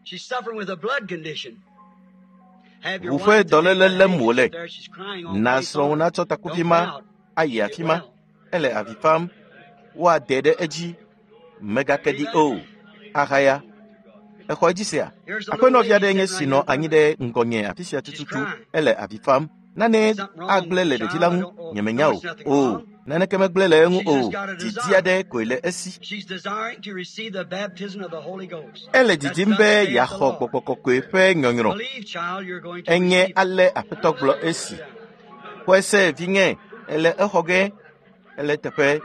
Ʋu ƒe dɔléle lém wòle. Na srɔ̃wò natsɔ takuvi ma ayi afi ma. Ele avi fam. Woade ɖe edzi. Mègake ɖi o. Ahaya. Exɔ edzi sea? Aƒenɔvi aɖe nye si nɔ anyi ɖe ŋgɔnye afi sia tututu. Ele avi fam. Nane agblẽ le ɖevi la ŋu. Nyemenya o. O, naneke megblẽ le eŋu o. Didi aɖe koe le esi. Ele didim be yeaxɔ Gbɔgbɔ Kɔkɔe ƒe nyɔnyrɔ. Enye ale Aƒetɔ gblɔ esi. Xɔe se vinye, ele exɔ ge. Ele teƒe,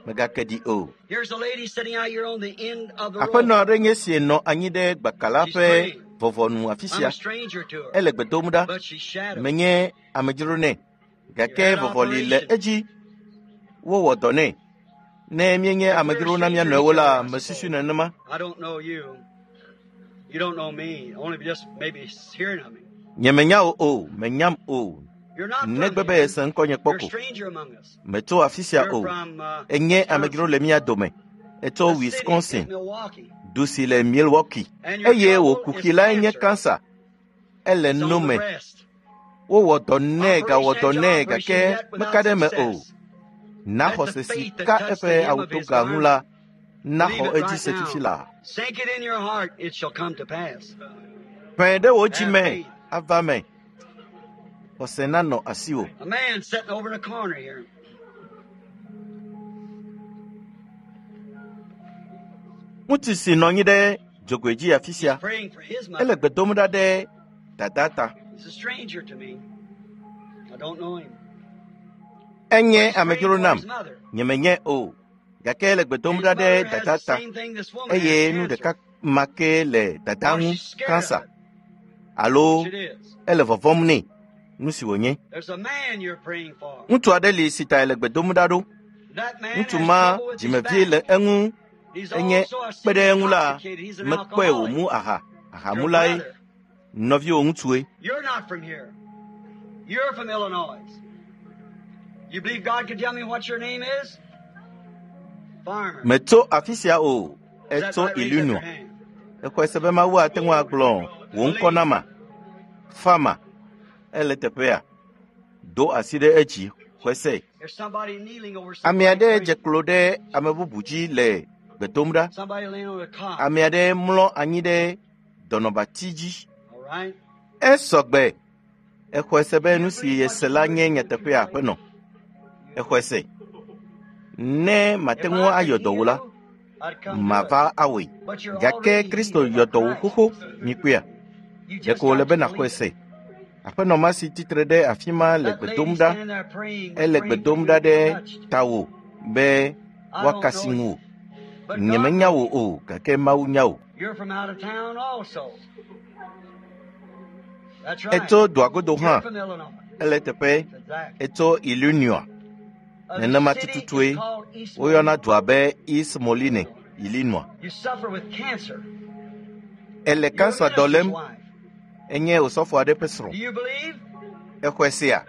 mègake ɖi o. Aƒenɔ aɖe nye si nɔ anyi ɖe gbaka la ƒe vɔvɔnu afi sia. Ele gbe dom ɖa. Menye amedzro nɛ, gake vɔvɔli le edzi. Wowɔ dɔ nɛ. Ne míenye amedzrowo na mía nɔewo la, mesusu nenema. Nyemenya wò o, menyam o. Negbe be ese ŋkɔnye kpɔ ko. Metso afi sia o. Enye amedzro le mía dome. Etso Wisconsin, du si le Milwaukee. Eye wò kuxi lae nye kansa. Ele no me. Wowɔ dɔ nɛ gawɔ dɔ nɛ gake meka ɖe eme o. Na xɔse si ka eƒe awutoga ŋu la naxɔ edzi se fifi laa. Ƒẽ ɖe wò dzi me ava me. Xɔse nanɔ asiwò. Ŋutsu si nɔ anyi ɖe dzogoe dzi afi sia, ele gbe dom ɖa ɖe dada ta. Enye amedzro nam, nyemenye o, gake ele gbe dom ɖa ɖe dada ta, eye nu ɖeka ma ke le dada ŋu, kansa, alo ele vɔvɔ̃m nɛ, nu si wònye. Ŋutsu aɖe li si ta ele gbe dom ɖa ɖo. Ŋutsu ma dzimevie le eŋu. Enye kpe ɖe eŋu la, mekpɔe wòmu aha. Ahamulae, nɔviwò ŋutsue. Metso afi sia o, etso Illinois. Exɔe se be Mawu ate ŋu agblɔ wò ŋkɔ nama. Farmer, ele teƒea. Do asi ɖe edzi, xɔe se. Ame aɖe dze klo ɖe ame bubu dzi le gbe dom ɖa. Ame aɖe mlɔ anyi ɖe dɔnɔbati dzi. Esɔ gbe. Exɔe se be nu si yese la nye nyateƒea aƒenɔ. Exɔe se. Ne mate ŋu ayɔ dɔ wò la, mava awɔe. Gake Kristo yɔ dɔ wò xoxo, mikpɔea? Ɖeko wòle be nàxɔe se. Aƒenɔ ma si tsitre ɖe afi ma le gbe dom ɖa. Ele gbe dom ɖa ɖe tawò be woakasi ŋuwò. Nyemenya wò o, gake Mawu nya wò. Etso dua godo hã. Ele teƒe. Etso Illinois. Nenema tututue woyɔna dua be East Moline, Illinois. Ele kansa dɔ lém. Enye osɔfo aɖe ƒe srɔ̃. Exɔe sea?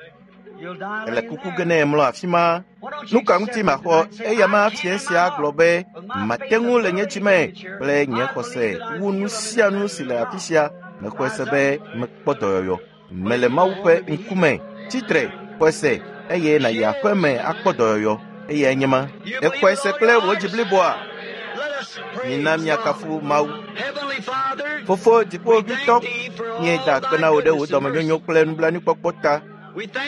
Ele kuku ge ne èmlɔ afi ma. Nu ka ŋuti maxɔ eya ma fia sia gblɔ be mate ŋu le nye dzime kple nye xɔse wu nu sia nu si le afi sia. Mexɔe se be mekpɔ dɔyɔyɔ. Mele Mawu ƒe ŋkume. Tsitre, xɔe se eye nàyi aƒe me akpɔ dɔyɔyɔ. Eyae nye ma. Èxɔe se kple wò dzi bliboa? Mina míakafu Mawu. Fofo Dziƒoʋĩtɔ, míeda akpe na wò ɖe wò dɔmenyonyo kple nublanuikpɔkpɔ ta.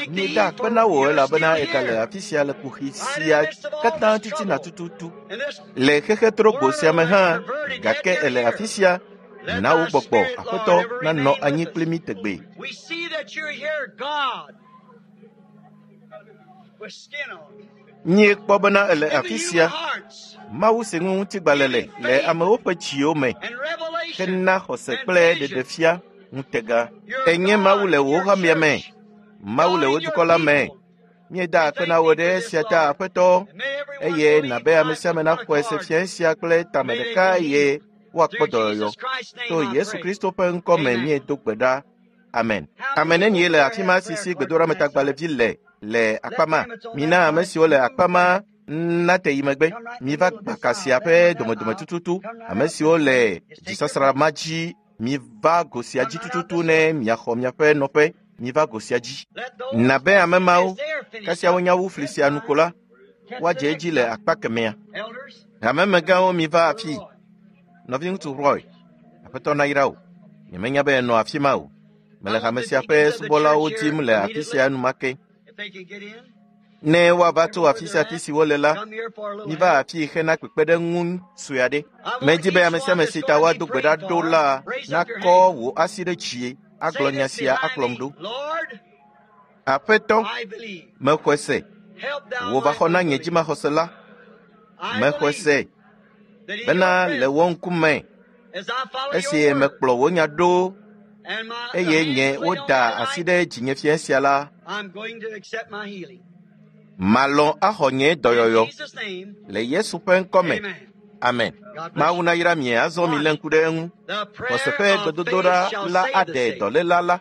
Míeda akpe na wò elabena ègale afi sia le kuxi sia katã titina tututu. Le xexe trogbo sia me hã, gake èle afi sia. Na wò gbɔgbɔ, Aƒetɔ, nanɔ anyi kpli mí tegbee. Míekpɔ bena èle afi sia, Mawu si ŋu ŋutigbalẽ le le amewo ƒe dziwo me hena xɔse kple ɖeɖefia ŋutega. Ènye Mawu le wò hamea me, Mawu le wò dukɔ la me. Míeda akpe na wò ɖe esia ta, Aƒetɔ, eye nàbe ame sia ame naxɔe se fia sia kple tame ɖeka eye woakpɔ dɔyɔyɔ. To Yesu Kristo ƒe ŋkɔ me míedo gbe ɖa. Amen. Ame nenie le afi ma si si gbedoɖametagbalẽvi le le akpa ma? Mina ame siwo le akpa ma nate yi megbe. Miva gbaka sia ƒe domedome tututu. Ame siwo le dzisasra ma dzi, miva go sia dzi tututu ne miaxɔ miaƒe nɔƒe. Miva go sia dzi. Nabe ame mawo, kasia wonya wu fli sia nu ko la, woadze edzi le akpa kemɛa. Hamemegãwo miva afii. Nɔviŋutsu Roy, Aƒetɔ nayra wò. Nyemenya be ènɔ afi ma o. Mele hame sia ƒe subɔlawo dim le afi sia enumake. Ne woava tso afi sia afi si wole la, miva afii hena kpekpeɖeŋu sue aɖe. Medi be ame sia ame si ta woado gbe ɖa ɖo la nakɔ wò asi ɖe dzi agblɔ nya sia akplɔm ɖo. Aƒetɔ, mexɔe se. Wò va xɔ na nye dzimaxɔse la. Mexɔe se bena le wò ŋkume esi mekplɔ wò nya ɖo eye nye woda asi ɖe dzinye fia sia la, malɔ̃ axɔ nye dɔyɔyɔ le Yesu ƒe ŋkɔ me. Amen. Mawu nayra mi azɔ mi lé ŋku ɖe eŋu. Xɔse ƒe gbedodoɖa la aɖe dɔléla la.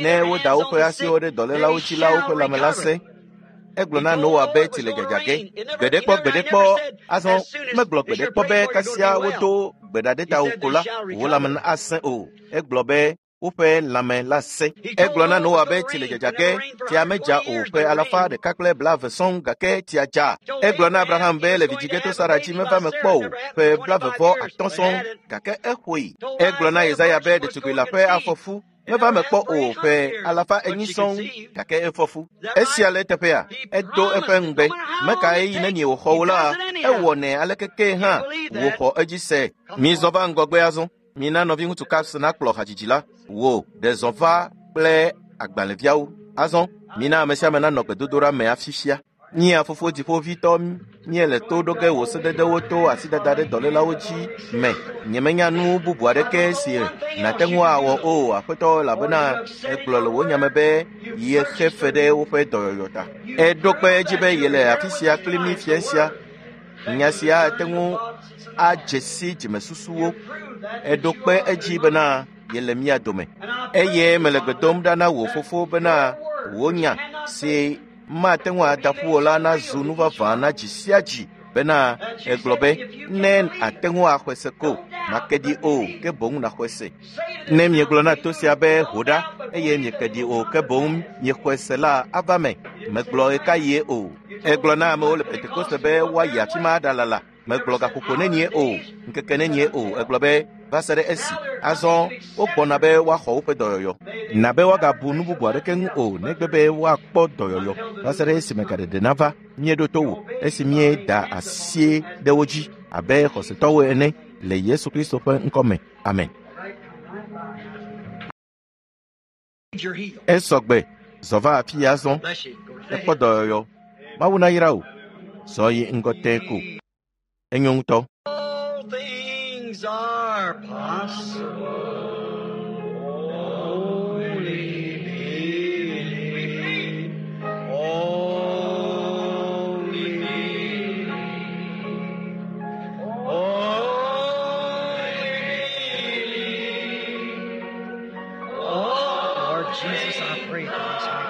Ne woda woƒe asiwo ɖe dɔlélawo dzi la, woƒe lãme la sẽ. Egblɔ na Noa be tsi le dzadza ge. Gbeɖekpɔ gbeɖekpɔ azɔ megblɔ gbeɖekpɔ be kasia wodo gbe ɖa ɖe tawò ko la, wò lãme asẽ o. Egblɔ be woƒe lãme la sẽ. Egblɔ na Noa be tsi le dzadza ge, tsia medza o ƒe alafa ɖeka kple blaeve sɔŋ gake tsia dza. Egblɔ na Abraham be le vidzĩ ge to Sara dzi meva eme kpɔ o ƒe 9+5 sɔŋ gake exɔe. Egblɔ na Yesaya be ɖetugbui la ƒe afɔ fu meva eme kpɔ o ƒe 400 sɔŋ gake efɔ fu. Esia le eteƒea, edo eƒe ŋugbe. Meka ɣeyiɣi nenie wòxɔ wò la, ewɔnɛ aleke ke hã wòxɔ edzi se. Mizɔ va ŋgɔgbe azɔ. Mina nɔviŋutsu Caps nakplɔ hadzidzi la. Wò ɖe zɔ va kple agbalẽviawo. Azɔ, mina ame sia ame nanɔ gbedodoɖa me afifia. Mía Fofo Dziƒoʋĩtɔ, míele to ɖo ge wò sededewo to asidada ɖe dɔlélawo dzi me. Nyemenya nu bubu aɖeke si nàte ŋu awɔ o, Aƒetɔ, elabena ègblɔ le wò nya me be yexe fe ɖe woƒe dɔyɔyɔ ta. Èɖo kpe edzi be yele afi sia kpli mí fiẽ sia. Nya sia ate ŋu adze si dzimesusuwo. Èɖo kpe edzi bena yele mía dome. Eye mele gbe dom ɖa na wò Fofo bena wò nya si mate ŋu ada ƒu o la nazu nu vavã na dzi sia dzi bena egblɔ be ne àte ŋu axɔe se ko, màke ɖi o, ke boŋ nàxɔe se. Ne miegblɔ na to sia be ho ɖa eye mieke ɖi o, ke boŋ miexɔe se la ava me. Megblɔ ɣekaɣie o. Egblɔ na amewo le Pentekoste be woayi afi ma aɖalala. Megblɔ gaƒoƒo nenie o, ŋkeke nenie o. Egblɔ be va se ɖe esi. Azɔ wogbɔna be woaxɔ woƒe dɔyɔyɔ. Na be woagabu nu bubu aɖeke ŋu o negbe be woakpɔ dɔyɔyɔ va se ɖe esime gaɖeɖe nava. Míeɖo to wò esi míeda asi ɖe wo dzi abe xɔsetɔwo ene le Yesu Kristo ƒe ŋkɔ me. Amen. Esɔ gbe, zɔ va afi ya azɔ. Ekpɔ dɔyɔyɔ. Mawu nayra wò. Zɔ yi ŋgɔ tẽe ko. Enyo ŋutɔ. All things are possible. Only believe. Only believe. Only believe. Oh, Lord Jesus, I pray for this.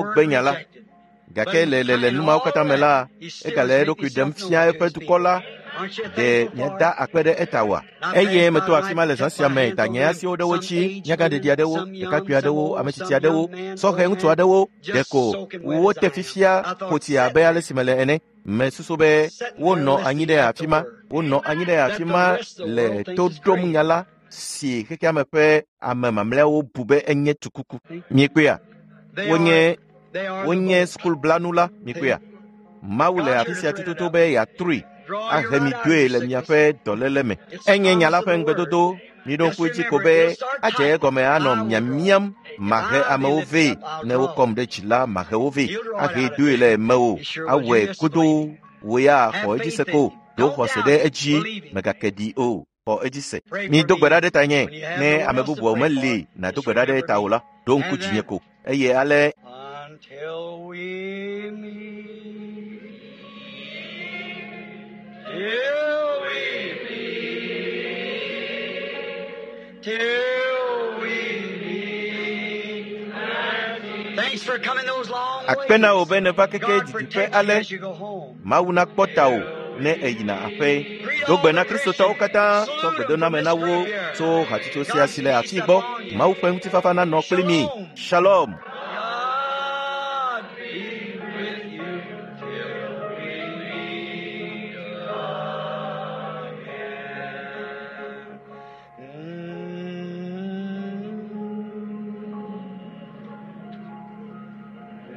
Wogbe nya la. Gake le le le nu mawo katã me la, egale eɖokui ɖem fia eƒe dukɔ la. Ɖe miada akpe ɖe eta oa? Eye meto afi ma le zã sia me da nye asiwo ɖe wo dzi, nyagãɖeɖi aɖewo, ɖekakpui aɖewo, ame tsitsi aɖewo, sɔhɛ ŋutsu aɖewo, ɖeko wote fifia ƒo tsi abe ale si mele ene. Mesusu be wonɔ anyi ɖe afi ma, wonɔ anyi ɖe afi ma le to ɖom nya la si xexeame ƒe ame mamlɛawo bu be enye tukuku. Miekpɔea? Wonye wonye sukulblanu la, miekpɔea? Mawu le afi sia tututu be yeatrui ahe mi doe le miaƒe dɔléle me. Enye nya la ƒe ŋugbedodo. Miɖo ŋku edzi ko be adze egɔme anɔ miamiam mahe amewo vɛ. Ne wokɔm ɖe dzi la, mahe wo vɛ. Ahe doe le mewò. Awɔe godoo. Wò ya xɔ edzi se ko. Ɖo xɔse ɖe edzi. Mègake ɖi o. Xɔ edzi se. Mido gbe ɖa ɖe tanye. Ne ame bubuawo meli nàdo gbe ɖa ɖe ta o la, ɖo ŋku dzinye ko. Eye ale Until we meet. Till we meet. Till we meet. Thanks for coming those long akpe na wò ways. be nèva keke God didiƒe protect you ale. as you go home. Mawu nakpɔ tawò ne èyina aƒe. Do gbe na Kristotɔwo katã tsɔ gbedoname na wo tso hatsotso sia si le afii gbɔ. Mawu ƒe ŋutifafa nanɔ kpli mi. Shalom. God be with you till we meet again.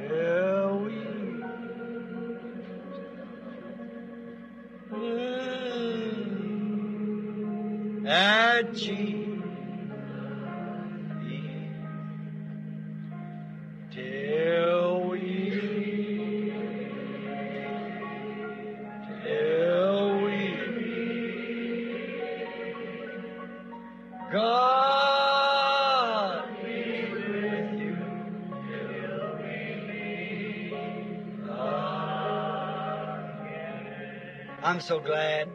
Till we At Jesus. Till we, till we meet. God be with you till we meet again. I'm so glad.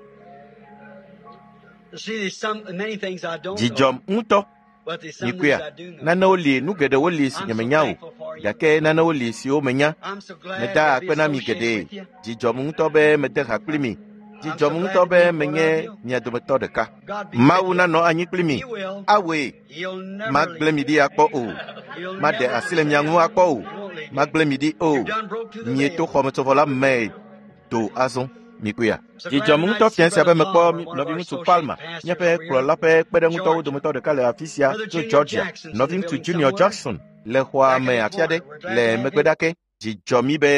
You see, there's some many things I don't know, Dzidzɔm ŋutɔ. but there's some things Mikpɔea, I do know. nanewo li, nu geɖewo li si I'm so nyemenya o, thankful for you. gake nanewo li siwo menya. I'm so glad Meda to be akpe na mi associated geɖe. with you. Dzidzɔm ŋutɔ be mede ha kpli mi. I'm so Dzidzɔm glad ŋutɔ to be be part menye of you. mia dometɔ ɖeka. God be with Mawu you. nanɔ anyi kpli mi. He will. Awɔe, He'll never magblẽ leave mi you. ɖi akpɔ o. He'll Maɖe never asi le mia forsake ŋu you. akpɔ o. He won't leave you. Magblẽ mi ɖi o. You've done broke through the Mieto veil. xɔmetsovɔ la me do azɔ. Mikpɔea. So glad Dzidzɔm tonight ŋutɔ to see fia sia Brother be mekpɔ Palmer, one of our nɔviŋutsu associate Palmer, pastors míaƒe over here, kplɔla ƒe kpeɖeŋutɔwo Georgia. dometɔ ɖeka le afi sia Brother tso Junior Georgia. Jackson's in the Nɔviŋutsu building Junior somewhere, Jackson le xɔa back in me the afi aɖe corner. We're glad le to have megbe him. ɖake. Dzidzɔ mí be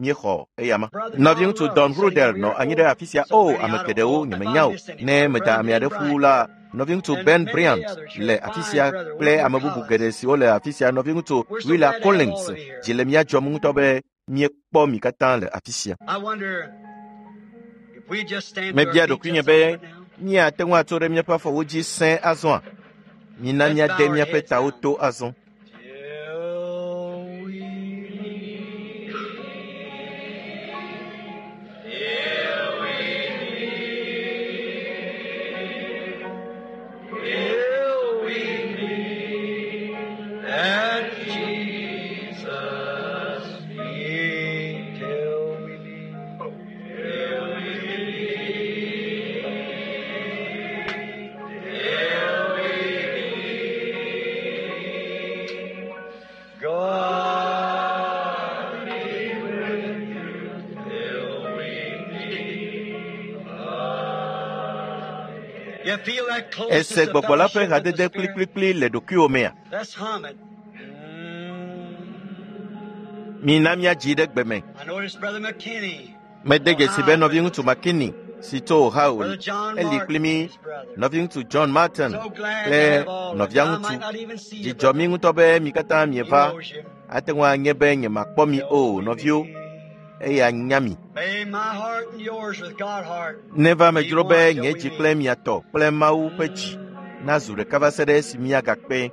míexɔ eyama. Brother Don Nɔviŋutsu Love Don is sitting Rudel over nɔ here. anyi ɖe Oh, afi sia. so O, many ame I don't geɖewo know if nyemenya I o. miss Ne anybody. meda Brother ame Ben aɖe ƒu Bryant la, nɔviŋutsu and Ben many Bryant others here. le afi Fine sia brother, kple William ame bubu Collins. geɖe siwo le afi sia. Nɔviŋutsu We're so Willa glad to have all Collins of you here. dzi le mía dzɔm ŋutɔ be míekpɔ mi katã le afi sia. I wonder if we just stand to our Mebia feet ɖokuinye just a be moment now. míate ŋu atso ɖe míaƒe afɔwo dzi sẽe azɔa? Mina Let's míade bow our míaƒe heads tawo down. to azɔ. Till we meet. Till we meet. Till we meet at Jesus' feet. Till we meet. Till we meet. Till we meet. God be with you till we meet again. You feel that closeness Ese of gbɔgbɔ la ƒe fellowship with the hadede Spirit? kplikplikpli le ɖokuiwò mea? Let's hum it. Mina míadzi ɖe gbe me. I noticed Brother McKinney, Mede dzesi be Ohio, with nɔviŋutsu us. McKinney si tso Ohio Brother John eli kpli Martin, mí, his brother. nɔviŋutsu John Martin So glad to kple have all of you. I nɔviaŋutsu. might not even see you, Dzidzɔ mí brother. ŋutɔ be mi katã He mieva. knows you. Ate ŋu anye be nyemakpɔ mi Till o, we nɔviwo, meet. eya nya mi. May my heart and yours with God's heart Neva be medzro one be till nye we dzi meet. kple mia tɔ kple Mawu ƒe dzi nazu ɖeka va se ɖe esi míagakpe.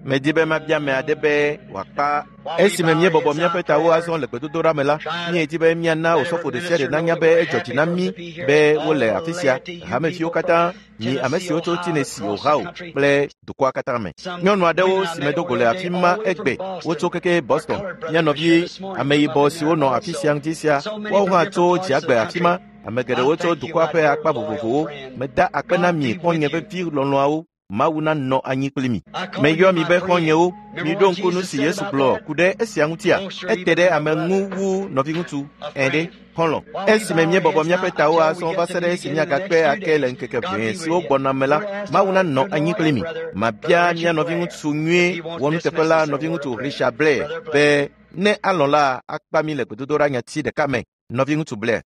Medi be mabia ame aɖe be wòakpa. Esime míebɔbɔ míaƒe tawo azɔ le gbedodoɖa me la, míedi be míana osɔfo ɖe sia ɖe nanya be edzɔ dzi na mí be wole afi sia, hameviwo katã, mi ame siwo tso Tennessee, Ohio kple dukɔa katã me. Nyɔnu aɖewo si medo go le afi ma egbe, wotso keke Boston. Mía nɔvi ameyibɔ siwo nɔ afi sia ŋdi sia, woawo hã tso dziagbe afi ma. Ame geɖewo tso dukɔa ƒe akpa vovovowo. Meda akpe na mi xɔ̃nye vevi lɔlɔ̃awo. Mawu nanɔ anyi kpli mi. Meyɔ mi be xɔ̃nyewo. Miɖo ŋku nu si Yesu gblɔ ku ɖe esia ŋutia? Ete ɖe ame ŋu wu nɔviŋutsu ene xɔlɔ̃. Esime míebɔbɔ míaƒe tawo azɔ va se ɖe esi míagakpe ake le ŋkeke ʋee siwo gbɔna me la, Mawu nanɔ anyi kpli mi. Mabia mía nɔviŋutsu nyui wɔnuteƒe la nɔviŋutsu Richard Blair be ne alɔ̃ la akpa mí le gbedodoɖa nyati ɖeka me. Nɔviŋutsu Blair.